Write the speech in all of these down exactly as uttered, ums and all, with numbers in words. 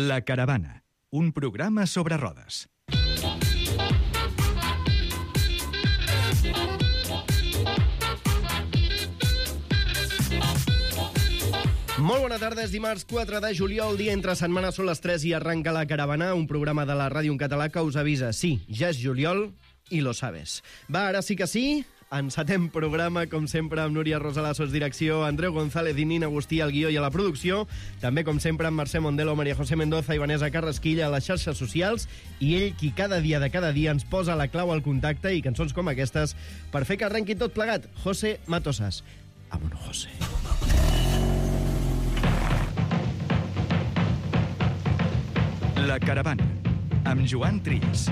La Caravana, un programa sobre rodes. Molt bona tarda, és dimarts quatre de juliol, dia entre setmana, són les tres i arranca La Caravana, un programa de la ràdio en català que us avisa. Sí, ja és juliol i lo sabes. Va, ara sí que sí, encetem programa, com sempre, amb Núria Rosalasso, direcció, Andreu González i Nina Agustí al guió i a la producció, també, com sempre, amb Mercè Mondelo, Maria José Mendoza i Vanessa Carrasquilla a les xarxes socials, i ell qui cada dia de cada dia ens posa la clau al contacte i cançons com aquestes per fer que arrenqui tot plegat. José Matosas. Vámonos, José. La Caravana, amb Joan Trills.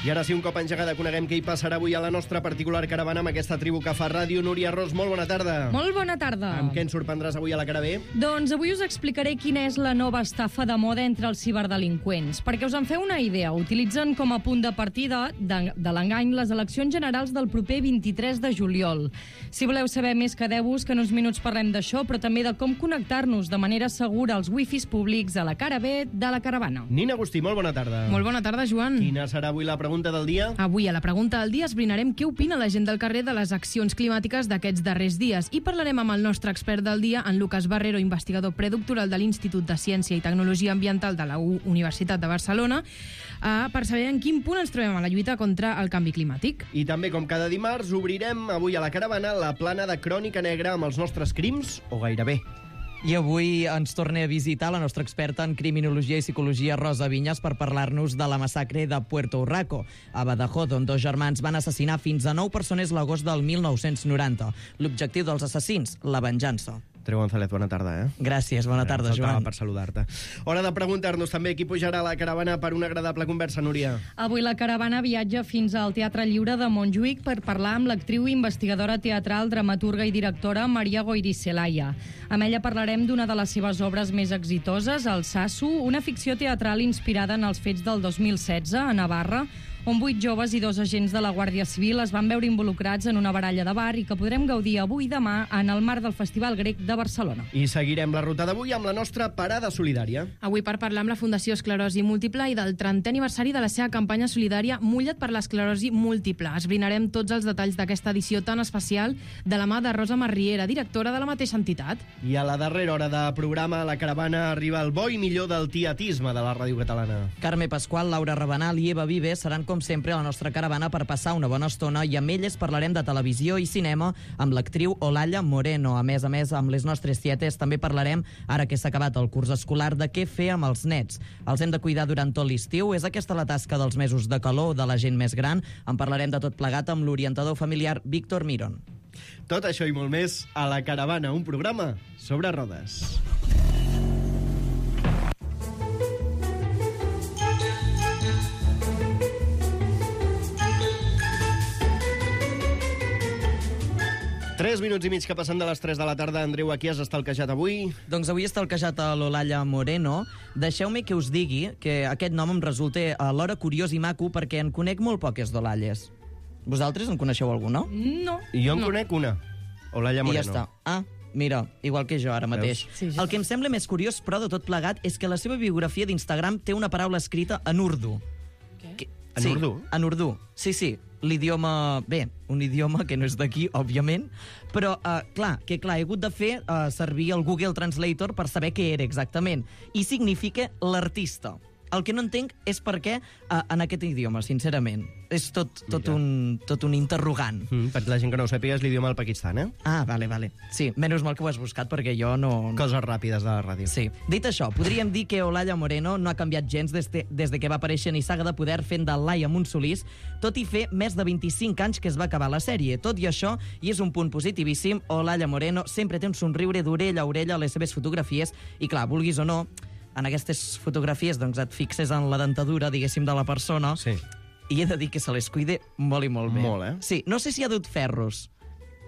I ara sí, un cop engegada, coneguem què hi passarà avui a la nostra particular caravana amb aquesta tribu que fa ràdio. Núria Ros, molt bona tarda. Molt bona tarda. Amb què ens sorprendràs avui a la Caravé? Doncs avui us explicaré quina és la nova estafa de moda entre els ciberdelinqüents. Perquè us en feu una idea, utilitzen com a punt de partida de, de l'engany les eleccions generals del proper vint-i-tres de juliol. Si voleu saber més, quedeu-vos, que en uns minuts parlem d'això, però també de com connectar-nos de manera segura als wifis públics a la Caravé de la Caravana. Nina Agustí, molt bona tarda. Molt bona tarda, Joan. Quina serà avui la pregunta del dia? Avui, a la pregunta del dia, esbrinarem què opina la gent del carrer de les accions climàtiques d'aquests darrers dies i parlarem amb el nostre expert del dia, en Lucas Barrero, investigador predoctoral de l'Institut de Ciència i Tecnologia Ambiental de la Universitat de Barcelona, eh, per saber en quin punt ens trobem a la lluita contra el canvi climàtic. I també, com cada dimarts, obrirem avui a la Caravana la plana de Crònica Negra amb els nostres crims, o gairebé. I avui ens torna a visitar la nostra experta en criminologia i psicologia, Rosa Vinyes, per parlar-nos de la massacre de Puerto Urraco, a Badajoz, on dos germans van assassinar fins a nou persones l'agost del mil nou-cents noranta. L'objectiu dels assassins, la venjança. Andreu González, bona tarda, eh? Gràcies, bona tarda, Joan. Joan. Per saludar-te. Hora de preguntar-nos també qui pujarà a la caravana per una agradable conversa, Núria. Avui la caravana viatja fins al Teatre Lliure de Montjuïc per parlar amb l'actriu investigadora teatral, dramaturga i directora Maria Goyriselaia. Amb ella parlarem d'una de les seves obres més exitoses, El Sasso, una ficció teatral inspirada en els fets del dos mil setze a Navarra, on vuit joves i dos agents de la Guàrdia Civil es van veure involucrats en una baralla de bar i que podrem gaudir avui i demà en el marc del Festival Grec de Barcelona. I seguirem la ruta d'avui amb la nostra parada solidària. Avui per parlar amb la Fundació Esclerosi Múltiple i del trentè aniversari de la seva campanya solidària Mulla't per l'esclerosi múltiple. Esbrinarem tots els detalls d'aquesta edició tan especial de la mà de Rosa Marriera, directora de la mateixa entitat. I a la darrera hora de programa a la caravana arriba el bo i millor del tietisme de la ràdio catalana. Carme Pasqual, Laura Rabanal i Eva Vives seran com sempre a la nostra caravana per passar una bona estona i amb elles parlarem de televisió i cinema amb l'actriu Olalla Moreno. A més a més, amb les nostres tietes també parlarem, ara que s'ha acabat el curs escolar, de què fer amb els nets. Els hem de cuidar durant tot l'estiu? És aquesta la tasca dels mesos de calor de la gent més gran? En parlarem de tot plegat amb l'orientador familiar Víctor Miron. Tot això i molt més a la caravana, un programa sobre rodes. Tres minuts i mig que passen de les tres de la tarda. Andreu, a qui has estalquejat avui? Doncs avui he estalquejat a l'Olalla Moreno. Deixeu-me que us digui que aquest nom em resulta alhora curiós i maco perquè en conec molt poques d'Olalles. Vosaltres en coneixeu alguna? No. I jo en no. conec una. Olalla Moreno. I ja està. Ah, mira, igual que jo ara mateix. Sí, sí. El que em sembla més curiós, però, de tot plegat, és que la seva biografia d'Instagram té una paraula escrita en urdu. Què? Que... En sí, urdu? En urdu, sí, sí. L'idioma... Bé, un idioma que no és d'aquí, òbviament, però, uh, clar, que clar, he hagut de fer uh, servir el Google Translator per saber què era exactament. I significa l'artista. El que no entenc és per què uh, en aquest idioma, sincerament. És tot, tot, un, tot un interrogant. Mm, per la gent que no ho sàpiga, és l'idioma del Pakistan, eh? Ah, vale, vale. Sí, menys mal que ho has buscat, perquè jo no... Coses ràpides de la ràdio. Sí. Dit això, podríem dir que Olalla Moreno no ha canviat gens des de, des de que va aparèixer en Saga de Poder fent de Laia Montsolís, tot i fer més de vint-i-cinc anys que es va acabar la sèrie. Tot i això, i és un punt positivíssim, Olalla Moreno sempre té un somriure d'orella a orella a les seves fotografies, i clar, vulguis o no, en aquestes fotografies doncs et fixes en la dentadura, diguéssim, de la persona, Sí. i he de dir que se les cuide molt i molt bé. Molt, eh? Sí, no sé si ha dut ferros.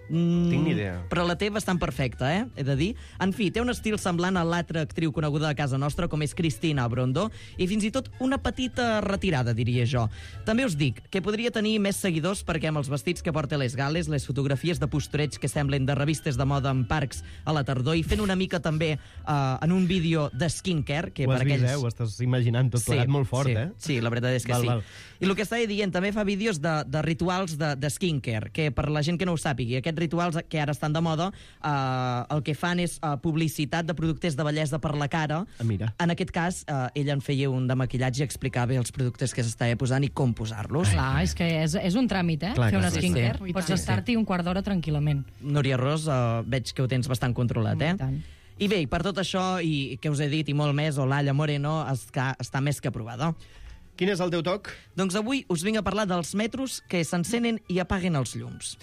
Mm, Tinc ni idea. Però la té bastant perfecta, eh? He de dir. En fi, té un estil semblant a l'altra actriu coneguda de casa nostra, com és Cristina Brondo, i fins i tot una petita retirada, diria jo. També us dic que podria tenir més seguidors perquè amb els vestits que porta a les gales, les fotografies de postureig que semblen de revistes de moda en parcs a la tardor, i fent una mica també uh, en un vídeo de skincare, que Ho per has vist, aquells... eh? Ho estàs imaginant tot plegat molt fort, sí, eh? Sí, la veritat és que Val, sí. val. I el que estava dient, també fa vídeos de, de rituals de, de skincare, que per la gent que no ho sàpigui, aquests rituals que ara estan de moda, eh, el que fan és eh, publicitat de productes de bellesa per la cara. Ah, mira. En aquest cas, eh, ella en feia un de maquillatge i explicava els productes que s'estava posant i com posar-los. Clar, és que és, és un tràmit, eh? Clar, Fer clar, una sí, skincare. sí. Pots Sí, estar-t'hi un quart d'hora tranquil·lament. Núria Ros, eh, veig que ho tens bastant controlat, eh? I tant. I bé, per tot això, i que us he dit, i molt més, Olalla Moreno està, està més que aprovada. Quin és el teu toc? Doncs avui us vinc a parlar dels metros que s'encenen i apaguen els llums.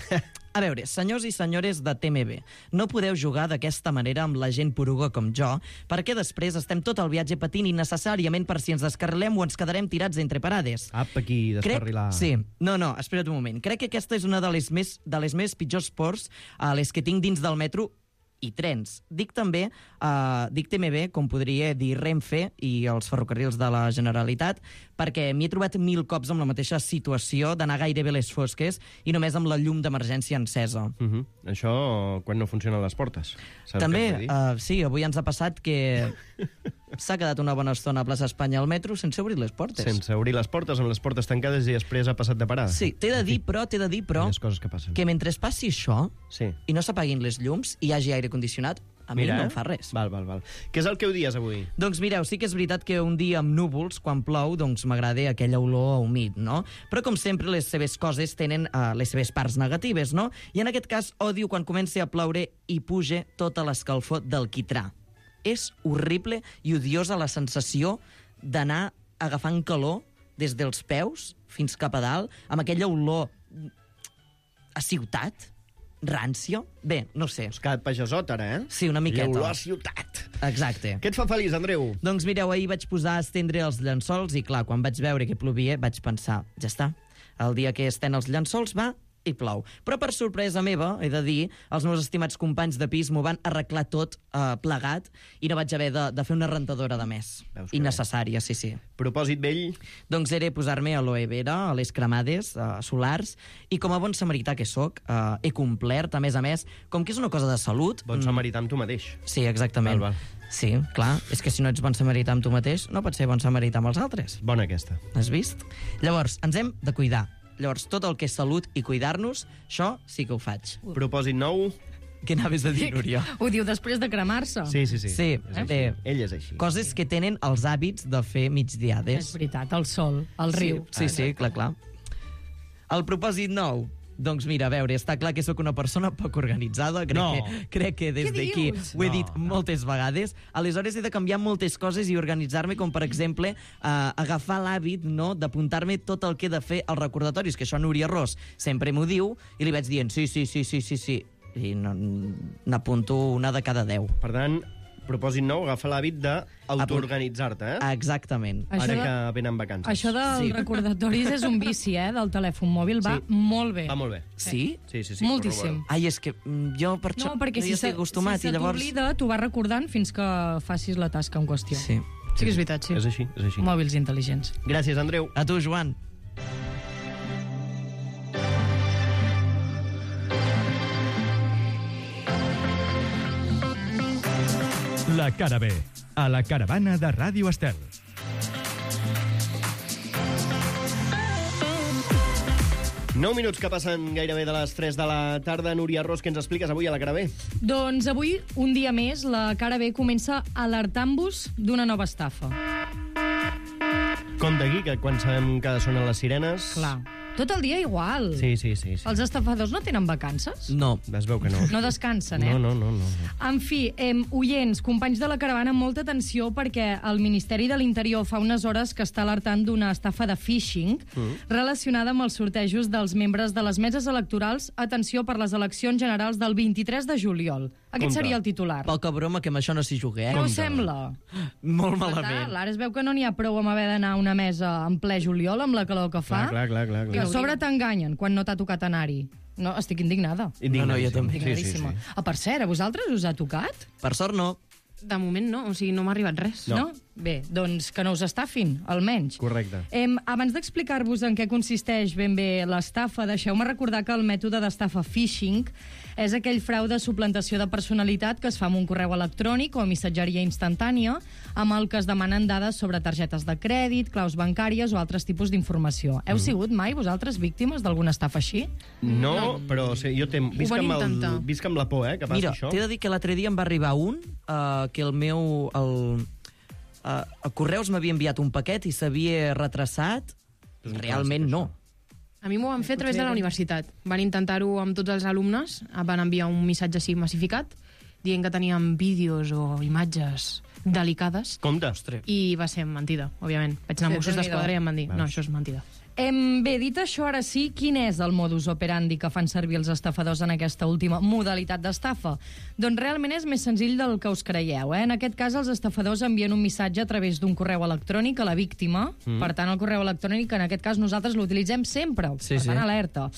A veure, senyors i senyores de T M B, no podeu jugar d'aquesta manera amb la gent poruga com jo, perquè després estem tot el viatge patint innecessàriament per si ens descarrilem o ens quedarem tirats entre parades. Apa, aquí, descarrilar. Crec... Sí, no, no, espera't un moment. Crec que aquesta és una de les més, de les més pitjors ports a les que tinc dins del metro i trens. Dic també, uh, dic T M B, com podria dir Renfe i els ferrocarrils de la Generalitat, perquè m'hi he trobat mil cops amb la mateixa situació d'anar gairebé a les fosques i només amb la llum d'emergència encesa. Uh -huh. Això quan no funcionen les portes. Saps També, què et vull dir? uh, sí, avui ens ha passat que s'ha quedat una bona estona a plaça Espanya al metro sense obrir les portes. Sense obrir les portes, amb les portes tancades, i després ha passat de parada. Sí, t'he de dir, però, t'he de dir, però, Aquelles coses que passen. que mentre passi això Sí. i no s'apaguin les llums i hi hagi aire condicionat, a mi Mira, no eh? em fa res. Val, val, val. Què és el que odies avui? Doncs mireu, sí que és veritat que un dia amb núvols, quan plou, doncs m'agrada aquella olor humit, no? Però com sempre les seves coses tenen uh, les seves parts negatives, no? I en aquest cas odio quan comença a ploure i puja tota l'escalfor del quitrà. És horrible i odiosa la sensació d'anar agafant calor des dels peus fins cap a dalt, amb aquella olor a ciutat, rància. Bé, no sé. Has quedat pagesot, ara, eh? Sí, una miqueta. Olor a ciutat. Exacte. Què et fa feliç, Andreu? Doncs mireu, ahir vaig posar a estendre els llençols i, clar, quan vaig veure que plovia, vaig pensar, ja està, el dia que estén els llençols va i plou. Però per sorpresa meva, he de dir, els meus estimats companys de pis m'ho van arreglar tot eh, plegat i no vaig haver de, de fer una rentadora de més. Veus que Innecessària, sí, sí. Propòsit vell? Doncs era posar-me aloe vera a les cremades eh, solars i com a bon samarità que sóc, eh, he complert, a més a més, com que és una cosa de salut... Bon samarità amb tu mateix. Sí, exactament. Val, val. Sí, clar, és que si no ets bon samarità amb tu mateix, no pots ser bon samarità amb els altres. Bona aquesta. Has vist? Llavors, ens hem de cuidar. Llavors, tot el que és salut i cuidar-nos, això sí que ho faig. Propòsit nou? Què anaves a dir, Núria? Ho diu després de cremar-se. Sí, sí, sí. Sí, És així. bé. Ell és així. Coses que tenen els hàbits de fer És migdiades. veritat, el sol, el riu. Sí, sí, sí, clar, clar. El propòsit nou? Doncs mira, a veure, està clar que sóc una persona poc organitzada. Crec, No. que, crec que des Què d'aquí dius? ho he No, dit no. moltes vegades. Aleshores he de canviar moltes coses i organitzar-me, com per exemple eh, agafar l'hàbit, no?, d'apuntar-me tot el que he de fer als recordatoris, que això Núria Ros sempre m'ho diu, i li vaig dient sí, sí, sí, sí, sí, sí. I no- n'apunto una de cada deu. Per tant, propòsit nou, agafa l'hàbit d'autoorganitzar-te, eh? Exactament. Això Ara de- que venen vacances. Això dels Sí. recordatoris és un vici, eh, del telèfon mòbil. Va Sí. molt bé. Va molt bé. Sí? Sí, sí, sí. Moltíssim. Ai, és que mm, jo per això No, perquè si ja se, estic acostumat si i se llavors... t'oblida, t'ho vas recordant fins que facis la tasca en qüestió. Sí. Sí que és veritat, sí. És així, és així. Mòbils intel·ligents. Gràcies, Andreu. A tu, Joan. La cara B, a la caravana de Ràdio Estel. nou minuts que passen gairebé de les tres de la tarda. Núria Ros, què ens expliques avui a la cara B? Doncs avui, un dia més, la cara B comença alertant-vos d'una nova estafa. Compte aquí, que quan sabem que sonen les sirenes... Clar. Tot el dia igual. Sí, sí, sí. sí. Els estafadors no tenen vacances? No. Es veu que no. No descansen, eh? No, no, no, no. En fi, eh, oients, companys de la caravana, molta atenció perquè el Ministeri de l'Interior fa unes hores que està alertant d'una estafa de phishing mm. relacionada amb els sortejos dels membres de les meses electorals, atenció, per les eleccions generals del vint-i-tres de juliol. Aquest Compte. seria el titular. Poca broma que amb això no s'hi jugui, eh? Què us sembla? Molt Fatal. malament. Ara es veu que no n'hi ha prou amb haver d'anar a una mesa en ple juliol, amb la calor que fa. Clar, clar, clar, clar. I clar. a sobre t'enganyen quan no t'ha tocat anar-hi. No, estic indignada. No, no, jo també. Indignadíssima. Sí, sí, sí. Ah, per cert, a vosaltres us ha tocat? Per sort no. De moment no, o sigui, no m'ha arribat res. No. No? Bé, doncs que no us estafin, almenys. Correcte. Em, abans d'explicar-vos en què consisteix ben bé l'estafa, deixeu-me recordar que el mètode d'estafa phishing és aquell frau de suplantació de personalitat que es fa amb un correu electrònic o missatgeria instantània amb el que es demanen dades sobre targetes de crèdit, claus bancàries o altres tipus d'informació. Heu Mm. sigut mai vosaltres víctimes d'alguna estafa així? No, no. però o sigui, jo tem, visc, van amb el, intentar. visc amb la por, eh, que passi Mira, això. t'he de dir que l'altre dia em va arribar un uh, que el meu... El, uh, a Correus m'havia enviat un paquet i s'havia retrasat. És un Realment clàssic, no. A mi m'ho van fer a través de la universitat. Van intentar-ho amb tots els alumnes, van enviar un missatge així massificat, dient que teníem vídeos o imatges delicades, Compte. i va ser mentida, òbviament. Vaig anar a Sí, Mossos Déu-n'hi-do. d'Esquadra i em van dir, Veus. no, això és mentida. Em, bé, dit això, ara sí, quin és el modus operandi que fan servir els estafadors en aquesta última modalitat d'estafa? Doncs realment és més senzill del que us creieu. Eh? En aquest cas, els estafadors envien un missatge a través d'un correu electrònic a la víctima. Mm. Per tant, el correu electrònic, en aquest cas, nosaltres l'utilitzem sempre. Sí, per tant, sí. alerta.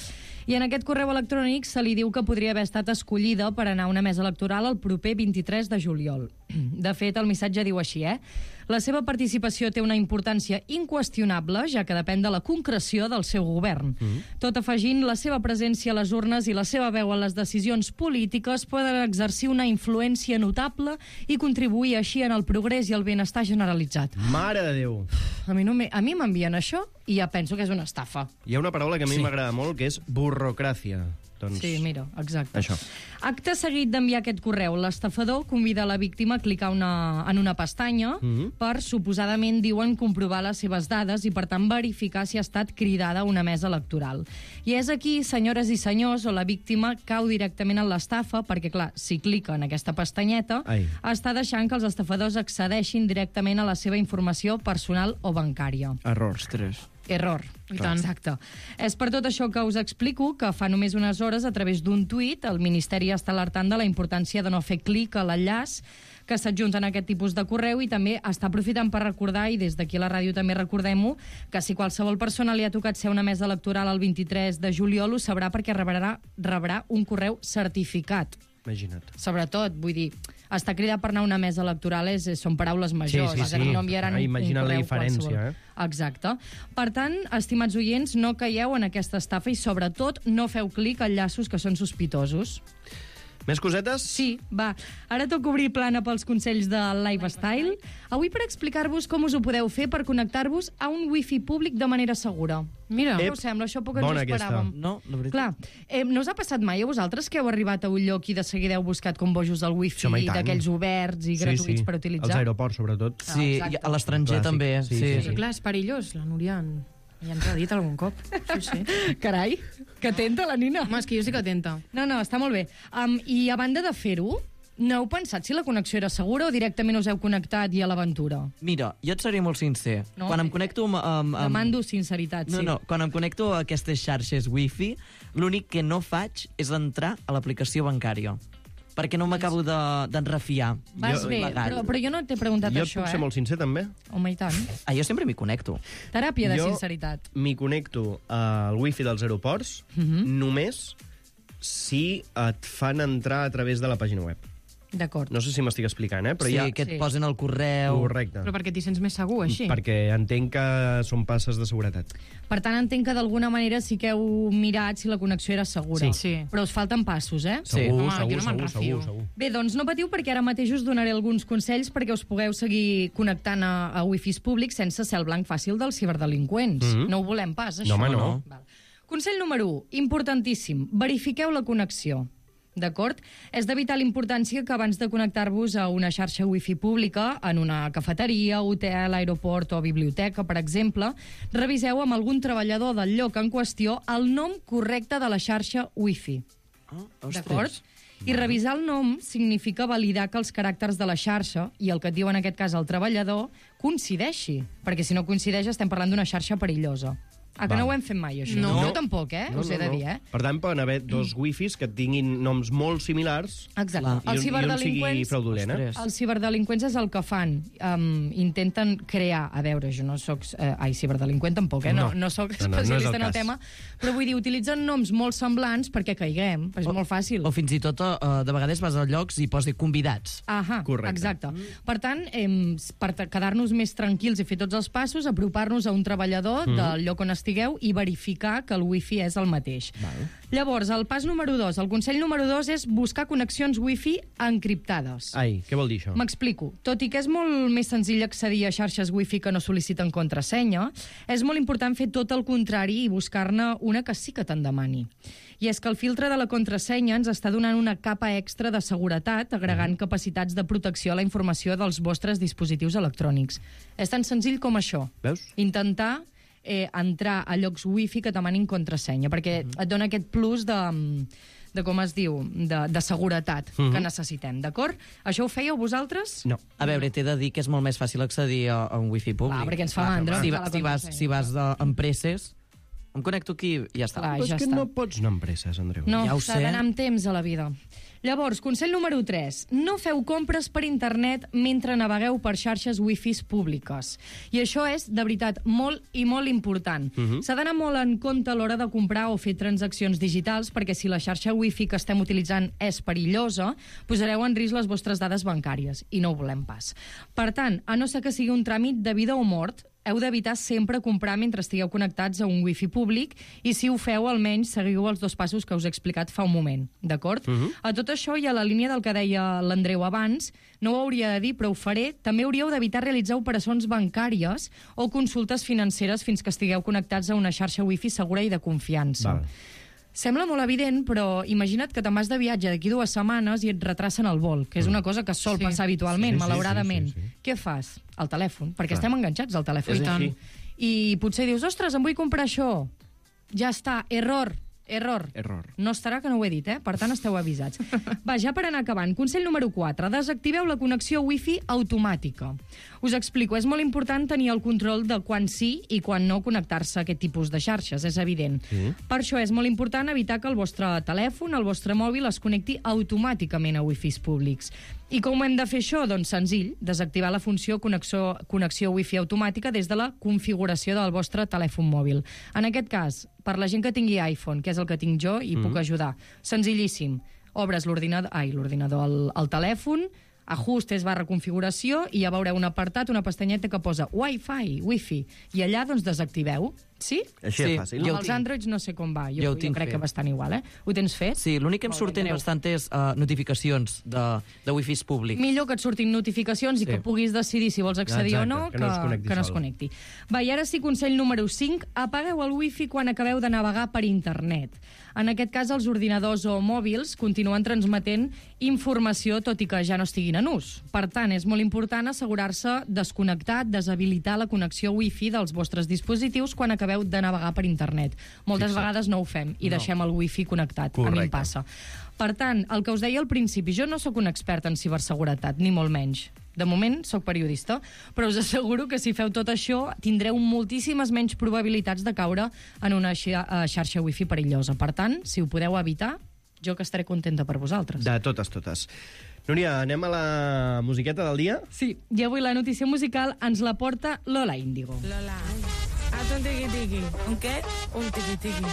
I en aquest correu electrònic se li diu que podria haver estat escollida per anar a una mesa electoral el proper vint-i-tres de juliol. De fet, el missatge diu així, eh? La seva participació té una importància inqüestionable, ja que depèn de la concreció del seu govern. Mm. Tot afegint la seva presència a les urnes i la seva veu a les decisions polítiques poden exercir una influència notable i contribuir així en el progrés i el benestar generalitzat. Mare de Déu. A mi, no me, a mi m'envien això i ja penso que és una estafa. Hi ha una paraula que a mi Sí. m'agrada molt, que és burrocràcia. Doncs... Sí, mira, exacte. Això. Acte seguit d'enviar aquest correu, l'estafador convida la víctima a clicar una, en una pestanya Mhm. per, suposadament, diuen, comprovar les seves dades i, per tant, verificar si ha estat cridada a una mesa electoral. I és aquí, senyores i senyors, on la víctima cau directament en l'estafa, perquè, clar, si clica en aquesta pestanyeta, Ai. està deixant que els estafadors accedeixin directament a la seva informació personal o bancària. Errors. Error. I tant. Exacte. És per tot això que us explico que fa només unes hores, a través d'un tuit, el Ministeri està alertant de la importància de no fer clic a l'enllaç que s'adjunten a aquest tipus de correu i també està aprofitant per recordar, i des d'aquí a la ràdio també recordem-ho, que si qualsevol persona li ha tocat ser una mesa electoral el vint-i-tres de juliol ho sabrà perquè rebrà, rebrà un correu certificat. Imagina't. Sobretot, vull dir, estar cridat per anar a una mesa electoral és, són paraules majors. Sí, sí, és a dir, sí. no enviaran Ah, un, imagina't un la correu diferència, qualsevol. eh? Exacte. Per tant, estimats oients, no caieu en aquesta estafa i, sobretot, no feu clic a enllaços que són sospitosos. Més cosetes? Sí, va. Ara toca obrir plana pels consells de Lifestyle. Avui per explicar-vos com us ho podeu fer per connectar-vos a un wifi públic de manera segura. Mira, Ep, Què us sembla? Això poc ens ho bona aquesta. esperàvem. No, la veritat. Clar, eh, no us ha passat mai a vosaltres que heu arribat a un lloc i de seguida heu buscat com bojos el wifi Home, i tant. d'aquells oberts i gratuïts per utilitzar? Els aeroports, sobretot. Sí, exacte. i a l'estranger Clàssic. també. Sí, Sí, sí, sí. Clar, és perillós, la Núria en... ja ens ha dit algun cop. Sí, sí. Carai, que atenta la Nina. Home, és que jo sí que atenta. No, no, està molt bé. Um, I a banda de fer-ho, no heu pensat si la connexió era segura o directament us heu connectat i a l'aventura? Mira, jo et seré molt sincer. No? Quan em connecto amb... amb, amb... Demando sinceritat, No, sí. no, quan em connecto a aquestes xarxes wifi, l'únic que no faig és entrar a l'aplicació bancària. Perquè no m'acabo de- d'enrefiar. Vas Jo- bé, legal. però, però jo no t'he preguntat Jo et això, puc eh? ser molt sincer, també. Home, i tant. Ah, jo sempre m'hi connecto. Teràpia de Jo sinceritat. m'hi connecto al wifi dels aeroports Mhm. només si et fan entrar a través de la pàgina web. D'acord. No sé si m'estic explicant, eh? Però sí, ja... que et Sí. posen el correu... Correcte. Però perquè t'hi sents més segur, així? Perquè entenc que són passes de seguretat. Per tant, entenc que d'alguna manera sí que heu mirat si la connexió era segura. Sí. Sí. Però us falten passos, eh? Sí. Segur, Home, segur, jo no me'n segur, segur, refio. segur. Bé, doncs no patiu perquè ara mateix us donaré alguns consells perquè us pugueu seguir connectant a, a wifis públics sense ser el blanc fàcil dels ciberdelinqüents. Mhm. No ho volem pas, això. No, home, no. Val. Consell número u, importantíssim, verifiqueu la connexió. D'acord? És de vital importància que abans de connectar-vos a una xarxa wifi pública, en una cafeteria, hotel, aeroport o biblioteca, per exemple, reviseu amb algun treballador del lloc en qüestió el nom correcte de la xarxa wifi. Oh, ostres. D'acord? I revisar el nom significa validar que els caràcters de la xarxa i el que et diu en aquest cas el treballador coincideixi, perquè si no coincideix estem parlant d'una xarxa perillosa. Ah, que Val. no ho hem fet mai, això? No. Jo tampoc, eh? No, Us he no, de no. dir, eh? Per tant, poden haver dos wifis que tinguin noms molt similars Exacte. Clar. i un, Els i un sigui ciberdelinqüents... fraudulent, eh? Ostres. Els ciberdelinqüents és el que fan. Um, intenten crear... A veure, jo no sóc... Eh, ai, ciberdelinqüent tampoc, eh? No, No. no sóc No, no, no és el especialista en el cas. tema. Però vull dir, utilitzen noms molt semblants perquè caiguem. És molt fàcil. O fins i tot, uh, de vegades vas a llocs i posi convidats. Ahà, Correcte. exacte. Per tant, eh, per ta- quedar-nos més tranquils i fer tots els passos, apropar-nos a un treballador Mm. del lloc on estigueu i verificar que el wifi és el mateix. Val. Llavors, el pas número dos, el consell número dos és buscar connexions wifi encriptades. Ai, què vol dir això? M'explico. Tot i que és molt més senzill accedir a xarxes wifi que no sol·liciten contrasenya, és molt important fer tot el contrari i buscar-ne una que sí que te'n demani. I és que el filtre de la contrasenya ens està donant una capa extra de seguretat, agregant capacitats de protecció a la informació dels vostres dispositius electrònics. És tan senzill com això. Veus? Intentar eh, entrar a llocs wifi que demanin contrasenya, perquè et dona aquest plus de, de com es diu, de, de seguretat Mhm. que necessitem, d'acord? Això ho fèieu vosaltres? No. A veure, t'he de dir que és molt més fàcil accedir a, a un wifi públic. Clar, perquè ens fa mandra. Si, ens fa va, la si, vas, contrasenya. si vas de, amb presses, em connecto aquí i ja està. Clar, Però és ja que està. no pots anar amb presses, Andreu. No, Ja ho s'ha sé. d'anar amb temps a la vida. Llavors, consell número tres. No feu compres per internet mentre navegueu per xarxes wifis públiques. I això és, de veritat, molt i molt important. Mhm. S'ha d'anar molt en compte a l'hora de comprar o fer transaccions digitals, perquè si la xarxa wifi que estem utilitzant és perillosa, posareu en risc les vostres dades bancàries, i no ho volem pas. Per tant, a no ser que sigui un tràmit de vida o mort, heu d'evitar sempre comprar mentre estigueu connectats a un wifi públic i si ho feu, almenys seguiu els dos passos que us he explicat fa un moment, d'acord? Mhm. A tot això i a la línia del que deia l'Andreu abans, no ho hauria de dir, però ho faré, també hauríeu d'evitar realitzar operacions bancàries o consultes financeres fins que estigueu connectats a una xarxa wifi segura i de confiança. Val. Sembla molt evident, però imagina't que te'n vas de viatge d'aquí dues setmanes i et retracen el vol, que és una cosa que sol Sí. passar habitualment, Sí, sí, malauradament. sí, sí, sí. Què fas? Al telèfon, perquè Clar. estem enganxats al telèfon. És I tant. així. I potser dius, ostres, em vull comprar això. Ja està, error, error. Error. No estarà que no ho he dit, eh? Per tant, esteu avisats. Va, ja per anar acabant. Consell número quatre. Desactiveu la connexió wifi automàtica. Us explico, és molt important tenir el control de quan sí i quan no connectar-se a aquest tipus de xarxes, és evident. Sí. Per això és molt important evitar que el vostre telèfon, el vostre mòbil, es connecti automàticament a wifis públics. I com hem de fer això? Doncs senzill, desactivar la funció connexió, connexió wifi automàtica des de la configuració del vostre telèfon mòbil. En aquest cas, per la gent que tingui iPhone, que és el que tinc jo, i mm. puc ajudar. Senzillíssim. Obres l'ordinador, ai, l'ordinador, el, el telèfon, ajustes barra configuració i ja veureu un apartat, una pestanyeta que posa Wi-Fi, Wi-Fi, i allà doncs desactiveu. Sí? Així Sí, és fàcil. jo Amb ho els tinc. Androids no sé com va. Jo, Jo ho jo tinc crec fet. que bastant igual, eh? Ho tens fet? Sí, l'únic que em Molt bé, surten Andreu. bastantes uh, notificacions de, de wifis públics. Millor que et surtin notificacions i Sí. que puguis decidir si vols accedir Exacte, o no, que no es connecti que no es sol. connecti. Va, i ara sí, consell número cinc, apagueu el wifi quan acabeu de navegar per internet. En aquest cas, els ordinadors o mòbils continuen transmetent informació, tot i que ja no estiguin en ús. Per tant, és molt important assegurar-se desconnectat, deshabilitar la connexió wifi dels vostres dispositius quan acabeu de navegar per internet. Moltes Fixa't. vegades no ho fem i No. deixem el wifi connectat. A mi Correcte. em passa. Per tant, el que us deia al principi, jo no sóc un expert en ciberseguretat, ni molt menys. De moment, sóc periodista, però us asseguro que si feu tot això tindreu moltíssimes menys probabilitats de caure en una xa- eh, xarxa wifi perillosa. Per tant, si ho podeu evitar, jo que estaré contenta per vosaltres. De totes, totes. Núria, anem a la musiqueta del dia? Sí, i avui la notícia musical ens la porta Lola Índigo. Lola, haz un tiki tiki. ¿Un qué? Un tiki tiki.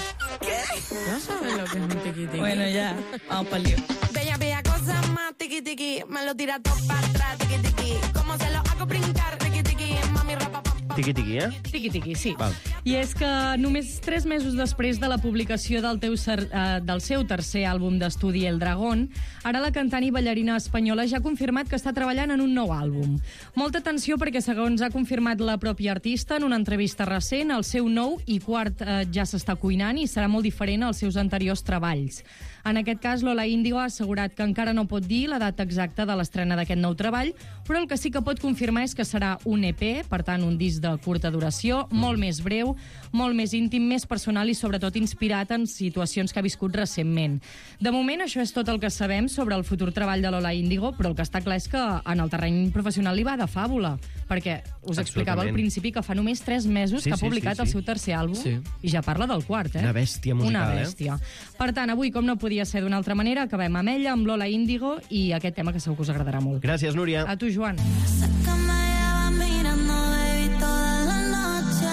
¿Qué? No sabes lo que es un tiki tiki. Bueno, ya, vamos para el lío. Bella, bella cosa más tiki tiki. Me lo tira todo para atrás, tiki tiki. ¿Cómo se lo hago brincar, tiki tiki? Mami, rapa, pa, pa. Tiqui, tiqui, eh? Tiqui, tiqui, sí. Val. I és que només tres mesos després de la publicació del, teu ser, eh, del seu tercer àlbum d'estudi, El Dragón, ara la cantant i ballarina espanyola ja ha confirmat que està treballant en un nou àlbum. Molta atenció perquè, segons ha confirmat la pròpia artista en una entrevista recent, el seu nou i quart eh, ja s'està cuinant i serà molt diferent als seus anteriors treballs. En aquest cas, Lola Índigo ha assegurat que encara no pot dir la data exacta de l'estrena d'aquest nou treball, però el que sí que pot confirmar és que serà un E P, per tant, un disc de curta duració, molt més breu, molt més íntim, més personal i, sobretot, inspirat en situacions que ha viscut recentment. De moment, això és tot el que sabem sobre el futur treball de Lola Índigo, però el que està clar és que en el terreny professional li va de fàbula, perquè us explicava al principi que fa només tres mesos sí, que ha sí, publicat sí, sí. el seu tercer àlbum Sí. i ja parla del quart, eh? Una bèstia musical, Una bèstia. Eh? Per tant, avui, com no podia ser d'una altra manera, acabem amb ella, amb Lola Índigo i aquest tema que segur que us agradarà molt. Gràcies, Núria. A tu, Joan. Sé que me llevas mirando, baby, toda la noche,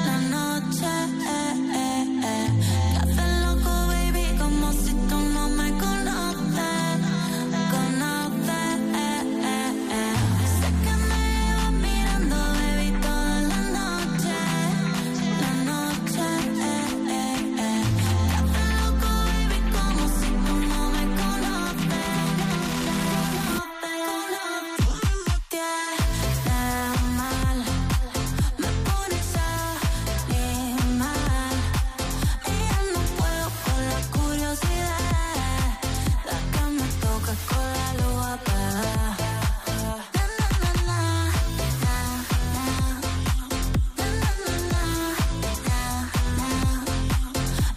la noche, eh, eh, eh. Te haces loco, baby, como si tú no me conoces, conoces, eh, eh, eh. Sé que me llevas mirando, baby, toda la noche, la noche, eh, eh, eh. Te haces loco, baby, como si tú no me conoces, tiene mal, me pones animal, y ya no puedo con la curiosidad, la que me toca con la luz apagada. Na, na, na, na, na, na, na, na, na,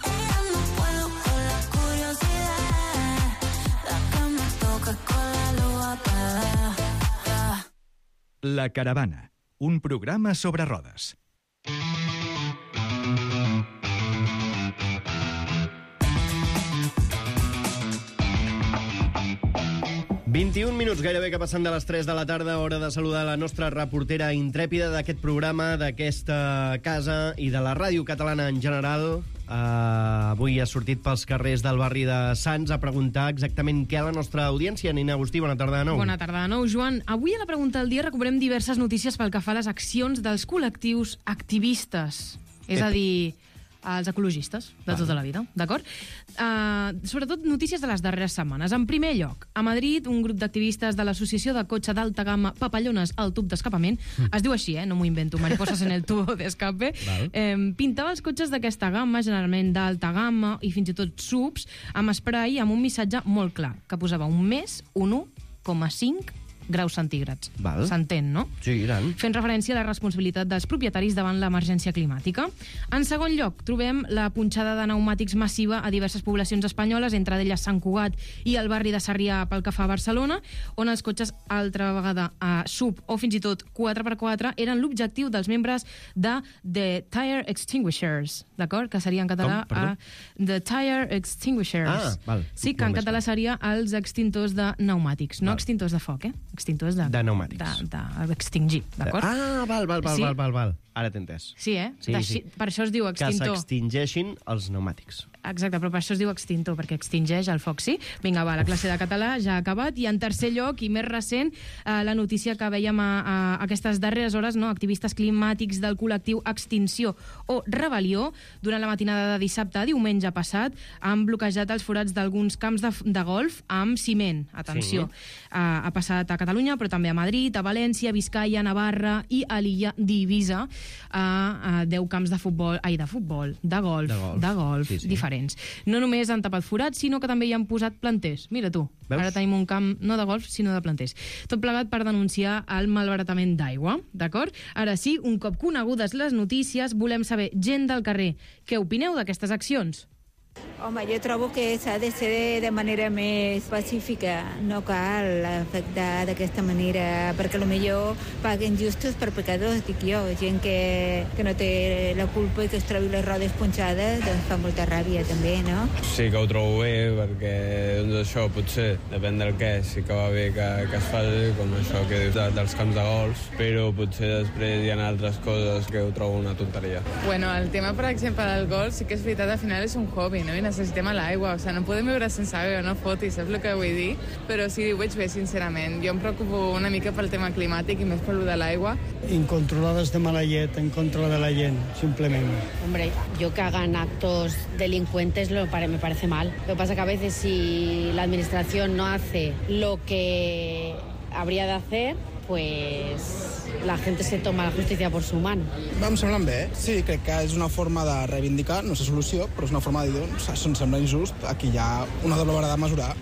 y ya no puedo con la curiosidad, la que me toca con la luz apagada. La Caravana, un programa sobre rodes. vint-i-un minuts gairebé que passen de les tres de la tarda, hora de saludar la nostra reportera intrèpida d'aquest programa, d'aquesta casa i de la ràdio catalana en general. Uh, avui ha sortit pels carrers del barri de Sants a preguntar exactament què a la nostra audiència. Nina Agustí, bona tarda de nou. Bona tarda de nou, Joan. Avui a la pregunta del dia recuperem diverses notícies pel que fa a les accions dels col·lectius activistes. És a dir, els ecologistes de tota la vida, d'acord? Uh, sobretot notícies de les darreres setmanes. En primer lloc, a Madrid, un grup d'activistes de l'associació de cotxe d'alta gamma Papallones al tub d'escapament, mm. es diu així, eh? No m'ho invento, mariposas en el tubo d'escape, eh, pintava els cotxes d'aquesta gamma, generalment d'alta gamma i fins i tot subs, amb spray amb un missatge molt clar, que posava un més, un u coma cinc graus centígrads. Val. S'entén, no? Sí, i tant. Fent referència a la responsabilitat dels propietaris davant l'emergència climàtica. En segon lloc, trobem la punxada de pneumàtics massiva a diverses poblacions espanyoles, entre d'elles Sant Cugat i el barri de Sarrià pel que fa a Barcelona, on els cotxes, altra vegada a sub o fins i tot quatre per quatre, eren l'objectiu dels membres de The Tire Extinguishers, d'acord? Que seria en català Com? Perdó? a The Tire Extinguishers. Ah, val. Sí, que en Molt més català seria els extintors de pneumàtics, no Val. extintors de foc, eh? Extintors de... De pneumàtics. De, d'extingir, d'acord? Ah, val, val, val, Sí. val, val, val. Ara t'he entès. Sí, eh? Sí, D'així- sí. Per això es diu Que extintor. s'extingeixin els pneumàtics. Exacte, però per això es diu extintor, perquè extingeix el foc, sí? Vinga, va, la classe de català ja ha acabat. I en tercer lloc, i més recent, eh, la notícia que veiem a, a aquestes darreres hores, no? Activistes climàtics del col·lectiu Extinció o Rebel·lió, durant la matinada de dissabte a diumenge passat, han bloquejat els forats d'alguns camps de, de golf amb ciment. Atenció. Sí. Eh, ha passat a Catalunya, però també a Madrid, a València, Biscaia, Navarra i a l'illa d'Eivissa, a, a deu camps de futbol, ai, de futbol, de golf, De golf. de golf, Sí, sí. diferents. No només han tapat forats, sinó que també hi han posat planters. Mira tu, Veus? ara tenim un camp no de golf, sinó de planters. Tot plegat per denunciar el malbaratament d'aigua, d'acord? Ara sí, un cop conegudes les notícies, volem saber, gent del carrer, què opineu d'aquestes accions? Home, jo trobo que s'ha de ser de, de manera més pacífica. No cal afectar d'aquesta manera, perquè potser paguen justos per pecadors, dic jo. Gent que, que no té la culpa i que es trobi les rodes punxades, doncs fa molta ràbia també, no? Sí que ho trobo bé, perquè doncs això, potser, depèn del què, sí que va bé que, que es faci, com això que dius de, dels camps de golf, però potser després hi ha altres coses que ho trobo una tonteria. Bueno, el tema, per exemple, del golf, sí que és veritat, al final és un hobby, no? I necessitem l'aigua, o sigui, no podem viure sense aigua, no fotis, saps el que vull dir? Però sí, ho veig bé, sincerament. Jo em preocupo una mica pel tema climàtic i més per lo de l'aigua. Incontroladas de mala llet, en contra de la gent, simplement. Hombre, yo que hagan actos delincuentes lo pare- me parece mal. Lo que pasa que a veces si la administración no hace lo que habría de hacer, pues la gente se toma la justicia por su mano. Em semblen bé, sí, crec que és una forma de reivindicar, no sé solució, però és una forma de dir, doncs, això em sembla injust, aquí hi ha una doble vara de mesurar.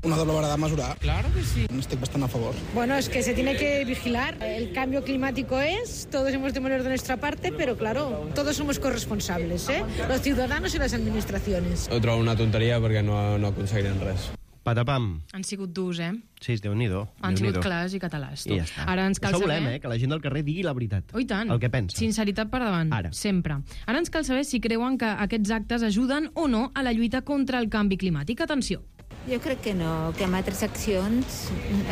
Una doble vara de mesurar. Claro que sí. Estic bastant a favor. Bueno, es que se tiene que vigilar. El cambio climático es, todos hemos de poner de nuestra parte, pero claro, todos somos corresponsables, ¿eh? Los ciudadanos y las administraciones. Ho trobo una tonteria perquè no, no aconseguirem res. Patapam. Han sigut durs, eh? Sí, Déu-n'hi-do. Han Déu-n'hi-do. sigut clars i catalans. Tu. I ja està. Ara ens cal Això saber... volem, eh? Que la gent del carrer digui la veritat. Oh, i tant. El que pensa. Sinceritat per davant. Ara. Sempre. Ara ens cal saber si creuen que aquests actes ajuden o no a la lluita contra el canvi climàtic. Atenció. Jo crec que no, que amb altres accions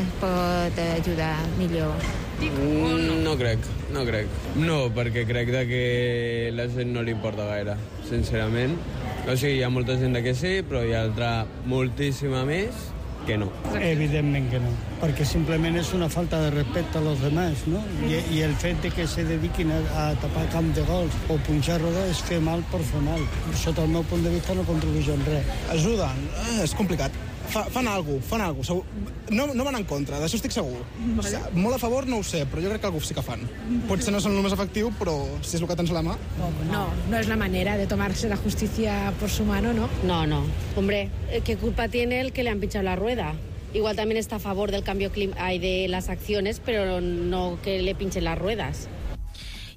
es pot ajudar millor. Mm, no crec, no crec. No, perquè crec de que la gent no li importa gaire, sincerament. O sigui, hi ha molta gent que sí, però hi ha altra moltíssima més que no. Evidentment que no, perquè simplement és una falta de respecte a los demás, no? I, i el fet de que se dediquin a, a tapar camp de gols o punxar roda és fer mal per fer mal. Sota el meu punt de vista no contribueix en res. Ajuden, eh, és complicat. Fa, fan alguna cosa, fan alguna cosa. No, no van en contra, d'això estic segur. O sigui, molt a favor no ho sé, però jo crec que alguna sí que fan. Potser no són el més efectiu, però si és el que tens a la mà... No, no es la manera de tomarse la justicia por su mano, ¿no? No, no. Hombre, ¿qué culpa tiene el que le han pinchado la rueda? Igual también está a favor del cambio climático, de las acciones, pero no que le pinchen las ruedas.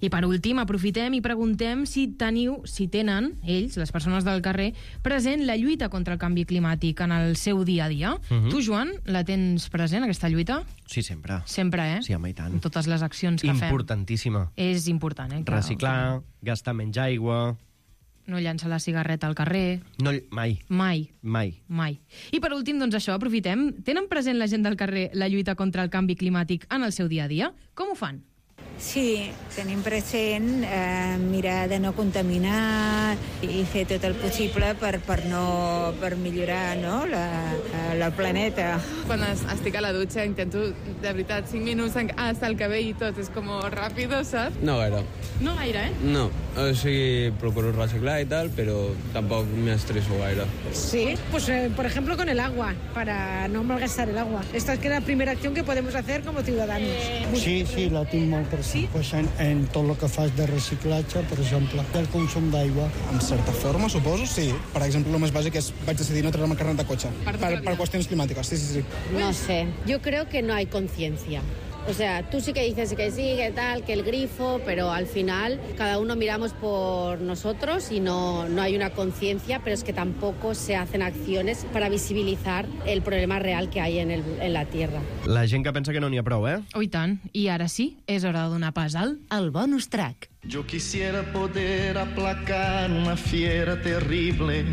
I per últim, aprofitem i preguntem si teniu, si tenen, ells, les persones del carrer, present la lluita contra el canvi climàtic en el seu dia a dia. Mhm. Tu, Joan, la tens present, aquesta lluita? Sí, sempre. Sempre, eh? Sí, home, i tant. En totes les accions que fem. Importantíssima. És important, eh? Que- Reciclar, gastar menys aigua... No llançar la cigarreta al carrer. No, mai. Mai. Mai. Mai. I per últim, doncs això, aprofitem. Tenen present la gent del carrer la lluita contra el canvi climàtic en el seu dia a dia? Com ho fan? Sí, tenim present eh, mirar de no contaminar i fer tot el possible per, per, no, per millorar no, la, la planeta. Quan es- estic a la dutxa intento, de veritat, cinc minuts en- hasta el cabell i tot, és com ràpido, saps? No gaire. No gaire, eh? No, o sigui, procuro reciclar i tal, però tampoc m'estresso gaire. Sí, pues eh, por ejemplo con el agua, para no malgastar el agua. Esta es que la primera acción que podemos hacer como ciudadanos. Sí, sí, la tinc molt present. Pues en, en tot el que fas de reciclatge, per exemple, el consum d'aigua. En certa forma, suposo, sí. Per exemple, el més bàsic és vaig decidir no treure-me carnet de cotxe. Per, per qüestions climàtiques, sí, sí, sí. No sé, yo creo que no hay conciencia. O sea, tú sí que dices que sí, que tal, que el grifo, pero al final cada uno miramos por nosotros y no, no hay una conciencia, pero es que tampoco se hacen acciones para visibilizar el problema real que hay en, el, en la Tierra. La gent que pensa que no n'hi ha prou, eh? Oh, i tant. I ara sí, és hora de donar pas al el bonus track. Yo quisiera poder aplacar una fiera terrible.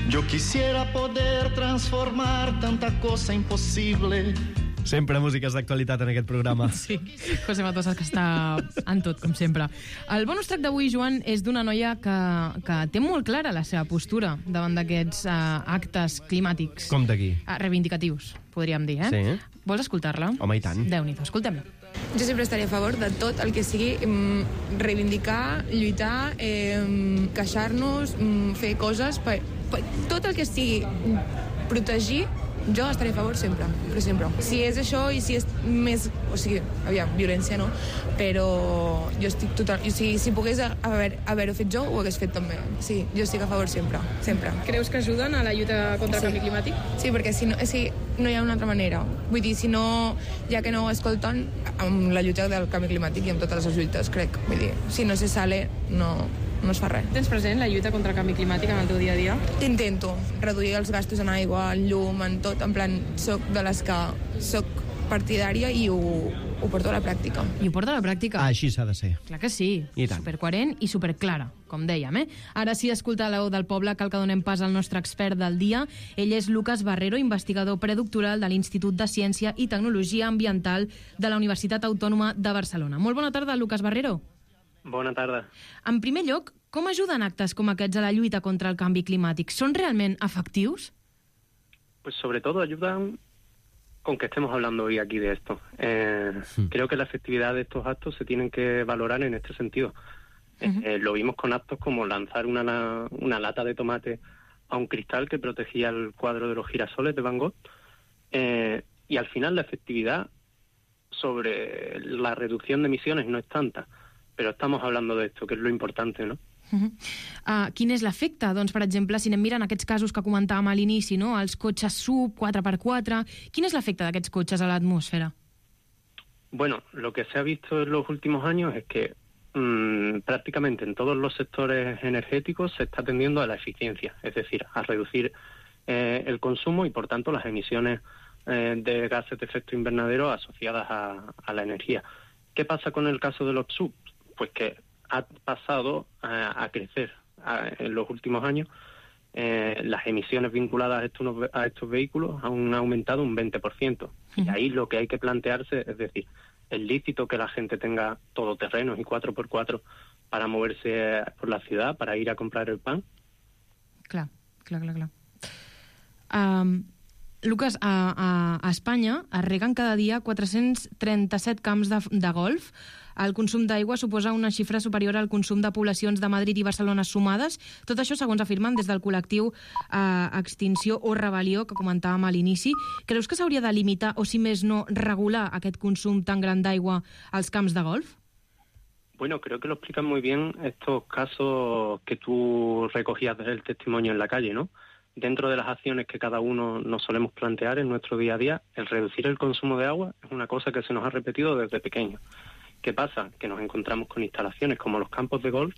Yo quisiera poder transformar tanta cosa imposible. Sempre músiques d'actualitat en aquest programa. Sí, José Matosas, que està en tot, com sempre. El bonus track d'avui, Joan, és d'una noia que, que té molt clara la seva postura davant d'aquests uh, actes climàtics. Com d'aquí? Uh, reivindicatius, podríem dir, eh? Sí. Vols escoltar-la? Home, i tant. Déu-n'hi-do, escoltem-la. Jo sempre estaria a favor de tot el que sigui mm, reivindicar, lluitar, eh, queixar-nos, mm, fer coses, per, per, tot el que sigui mm, protegir, jo estaré a favor sempre, per sempre. Si és això i si és més... O sigui, aviam, violència no, però jo estic total... O sigui, si pogués haver, haver-ho fet jo, ho hagués fet també. Sí, jo estic a favor sempre, sempre. Creus que ajuden a la lluita contra el canvi climàtic? Sí, perquè si no, és que no hi ha una altra manera. Vull dir, si no, ja que no ho escolten, amb la lluita del canvi climàtic i amb totes les lluites, crec. Vull dir, si no se sale, no, no es fa res. Tens present la lluita contra el canvi climàtic en el teu dia a dia? Intento reduir els gastos en aigua, en llum, en tot. En plan, soc de les que soc partidària i ho, ho porto a la pràctica. I ho porta a la pràctica? Ah, així s'ha de ser. Clar que sí. I tant. Supercoherent i superclara, com dèiem, eh? Ara sí, escolta la veu del poble, cal que donem pas al nostre expert del dia. Ell és Lucas Barrero, investigador predoctoral de l'Institut de Ciència i Tecnologia Ambiental de la Universitat Autònoma de Barcelona. Molt bona tarda, Lucas Barrero. Bona tarda. En primer lloc, com ajuden actes com aquests a la lluita contra el canvi climàtic? ¿Son realment efectius? Pues sobre todo ayudan con que estemos hablando hoy aquí de esto. Eh, sí. Creo que la efectividad de estos actos se tienen que valorar en este sentido. Uh-huh. Eh, lo vimos con actos como lanzar una, una lata de tomate a un cristal que protegía el cuadro de los girasoles de Van Gogh. Eh, y al final la efectividad sobre la reducción de emisiones no es tanta, però estamos hablando de esto, que és lo importante, no? Uh -huh. uh, quin és l'efecte? Doncs, per exemple, si anem mirant aquests casos que comentàvem a l'inici, no? Els cotxes sub, quatre per quatre, quin és l'efecte d'aquests cotxes a l'atmosfera? Bueno, lo que se ha visto en los últimos años es que mmm, prácticamente en todos los sectores energéticos se está tendiendo a la eficiencia, es decir, a reducir eh, el consumo y, por tanto, las emisiones eh, de gases de efecto invernadero asociadas a, a la energía. ¿Qué pasa con el caso de los subs? Pues que ha pasado a, a crecer a, en los últimos años. Eh, las emisiones vinculadas a estos, a estos vehículos han aumentado un veinte por ciento. Uh-huh. Y ahí lo que hay que plantearse es decir, ¿es lícito que la gente tenga todoterrenos y cuatro por cuatro para moverse por la ciudad, para ir a comprar el pan? Clar, clar, clar, clar. Um, Lucas, a, a, a Espanya es reguen cada dia quatre-cents trenta-set camps de, de golf. El consum d'aigua suposa una xifra superior al consum de poblacions de Madrid i Barcelona sumades. Tot això, segons afirmen des del col·lectiu eh, Extinció o Rebel·lió, que comentàvem a l'inici. Creus que s'hauria de limitar, o si més no, regular aquest consum tan gran d'aigua als camps de golf? Bueno, creo que lo explican muy bien estos casos que tú recogías del testimonio en la calle, ¿no? Dentro de las acciones que cada uno nos solemos plantear en nuestro día a día, el reducir el consumo de agua es una cosa que se nos ha repetido desde pequeño. ¿Qué pasa? Que nos encontramos con instalaciones como los campos de golf,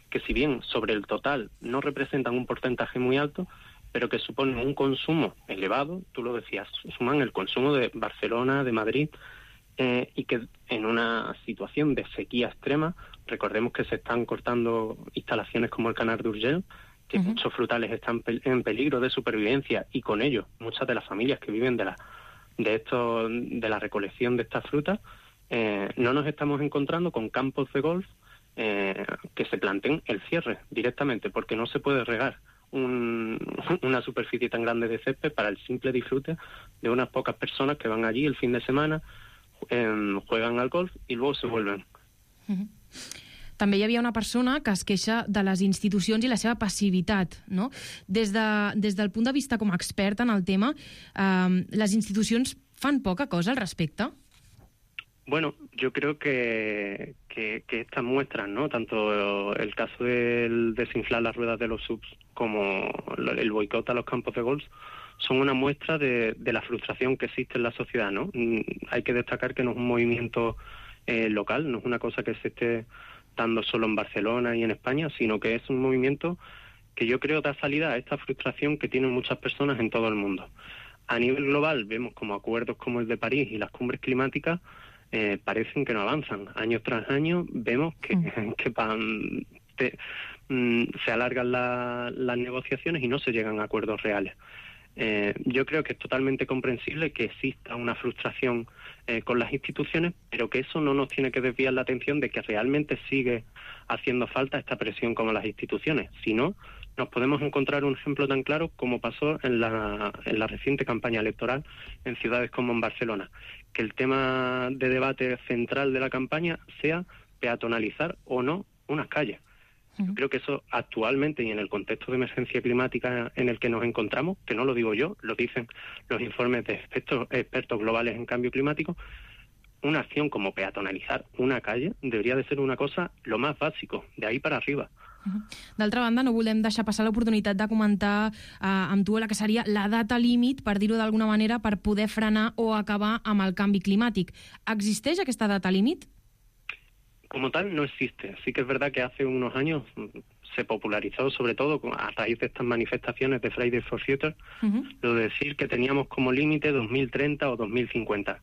que si bien sobre el total no representan un porcentaje muy alto, pero que suponen un consumo elevado, tú lo decías, suman el consumo de Barcelona, de Madrid, eh, y que en una situación de sequía extrema, recordemos que se están cortando instalaciones como el Canal de Urgell, que uh-huh. muchos frutales están en peligro de supervivencia, y con ello muchas de las familias que viven de la, de, esto, de la recolección de estas frutas, Eh, no nos estamos encontrando con campos de golf eh, que se planteen el cierre directamente, porque no se puede regar un, una superficie tan grande de césped para el simple disfrute de unas pocas personas que van allí el fin de semana, eh, juegan al golf y luego se vuelven. Uh-huh. També hi havia una persona que es queixa de les institucions i la seva passivitat, no? Des, de, des del punt de vista com a expert en el tema, eh, les institucions fan poca cosa al respecte? Bueno, yo creo que, que, que estas muestras, ¿no? Tanto el caso del desinflar las ruedas de los subs como el boicot a los campos de golf son una muestra de, de la frustración que existe en la sociedad, ¿no? Hay que destacar que no es un movimiento eh, local, no es una cosa que se esté dando solo en Barcelona y en España, sino que es un movimiento que yo creo da salida a esta frustración que tienen muchas personas en todo el mundo. A nivel global vemos como acuerdos como el de París y las cumbres climáticas Eh, parecen que no avanzan. Año tras año vemos que, mm. que pan, te, mm, se alargan la, las negociaciones y no se llegan a acuerdos reales. Eh, yo creo que es totalmente comprensible que exista una frustración eh, con las instituciones, pero que eso no nos tiene que desviar la atención de que realmente sigue haciendo falta esta presión como las instituciones. Si no, nos podemos encontrar un ejemplo tan claro como pasó en la, en la reciente campaña electoral en ciudades como en Barcelona, que el tema de debate central de la campaña sea peatonalizar o no unas calles. Uh-huh. Yo creo que eso actualmente y en el contexto de emergencia climática en el que nos encontramos, que no lo digo yo, lo dicen los informes de expertos, expertos globales en cambio climático, una acción como peatonalizar una calle debería de ser una cosa lo más básico, de ahí para arriba. Uh-huh. D'altra banda, no volem deixar passar l'oportunitat de comentar eh, amb tu la que seria la data límit, per dir-ho d'alguna manera, per poder frenar o acabar amb el canvi climàtic. ¿Existeix aquesta data límit? Como tal, no existe. Sí que es verdad que hace unos años se popularizó, sobre todo a raíz de estas manifestaciones de Fridays for Future, uh-huh. lo de decir que teníamos como límite dos mil treinta o dos mil cincuenta.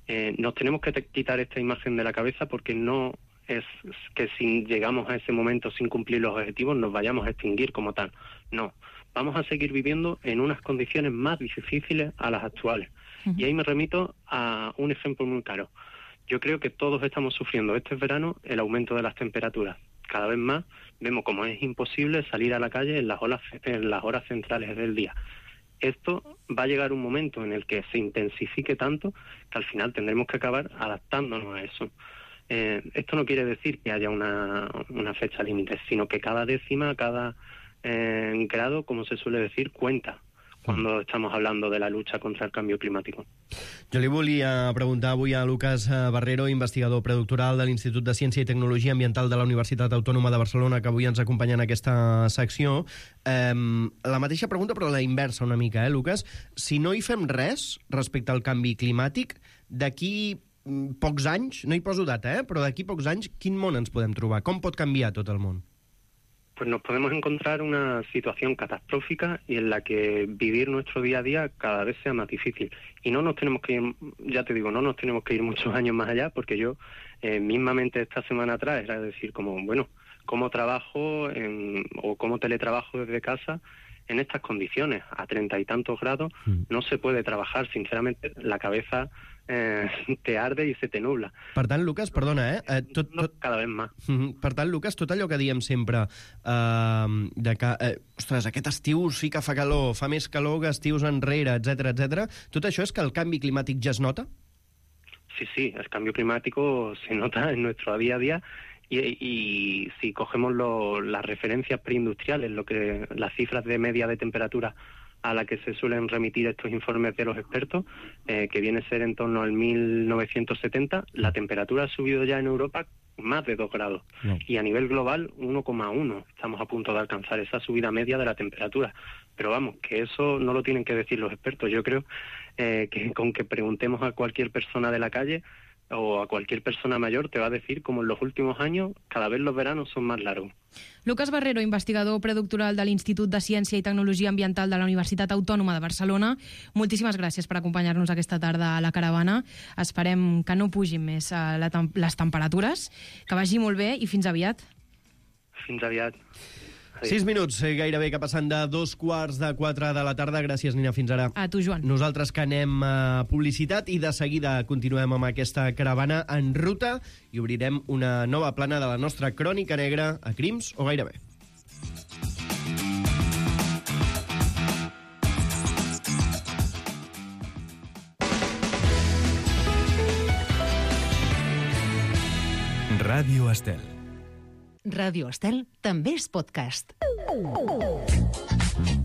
Eh, nos tenemos que te- quitar esta imagen de la cabeza, porque no es que si llegamos a ese momento sin cumplir los objetivos nos vayamos a extinguir como tal. No, vamos a seguir viviendo en unas condiciones más difíciles a las actuales. Uh-huh. Y ahí me remito a un ejemplo muy claro. Yo creo que todos estamos sufriendo este verano el aumento de las temperaturas. Cada vez más vemos como es imposible salir a la calle en las horas, en las horas centrales del día. Esto va a llegar un momento en el que se intensifique tanto que al final tendremos que acabar adaptándonos a eso. Eh, esto no quiere decir que haya una, una fecha límite, sino que cada décima, cada eh, grado, como se suele decir, cuenta. cuando estamos hablando de la lucha contra el cambio climático. Jo li volia preguntar avui a Lucas Barrero, investigador predoctoral de l'Institut de Ciència i Tecnologia Ambiental de la Universitat Autònoma de Barcelona, que avui ens acompanya en aquesta secció. Eh, la mateixa pregunta, però la inversa una mica, eh, Lucas? Si no hi fem res respecte al canvi climàtic, d'aquí pocs anys, no hi poso data, eh, però d'aquí pocs anys, quin món ens podem trobar? Com pot canviar tot el món? Pues nos podemos encontrar una situación catastrófica y en la que vivir nuestro día a día cada vez sea más difícil. Y no nos tenemos que ir, ya te digo, no nos tenemos que ir muchos años más allá, porque yo eh, mismamente esta semana atrás era decir como, bueno, cómo trabajo en, o cómo teletrabajo desde casa en estas condiciones, a treinta y tantos grados, mm. no se puede trabajar, sinceramente, la cabeza eh, te arde i se te nubla. Per tant, Lucas, perdona, eh? eh tot, tot... Cada vegada més. Per tant, Lucas, tot allò que diem sempre eh, de que, eh, ostres, aquest estiu sí que fa calor, fa més calor que estius enrere, etcètera, etcètera, tot això és que el canvi climàtic ja es nota? Sí, sí, el cambio climático se nota en nuestro día a día. Y, y si cogemos lo, las referencias preindustriales, lo que las cifras de media de temperatura a la que se suelen remitir estos informes de los expertos, eh, que viene a ser en torno al mil novecientos setenta, la temperatura ha subido ya en Europa más de dos grados. No. Y a nivel global, uno coma uno. Estamos a punto de alcanzar esa subida media de la temperatura. Pero vamos, que eso no lo tienen que decir los expertos. Yo creo eh, que con que preguntemos a cualquier persona de la calle o a cualquier persona mayor te va a decir como en los últimos años cada vez los veranos son más largos. Lucas Barrero, investigador predoctoral de l'Institut de Ciència i Tecnologia Ambiental de la Universitat Autònoma de Barcelona, moltíssimes gràcies per acompanyar-nos aquesta tarda a la caravana. Esperem que no pugin més la tem- les temperatures, que vagi molt bé i fins aviat. Fins aviat. Sis minuts, eh, gairebé, que passant de dos quarts de quatre de la tarda. Gràcies, Nina, fins ara. A tu, Joan. Nosaltres que anem a publicitat i de seguida continuem amb aquesta caravana en ruta i obrirem una nova plana de la nostra crònica negra a Crims o gairebé. Ràdio Estel. Ràdio Estel també és podcast.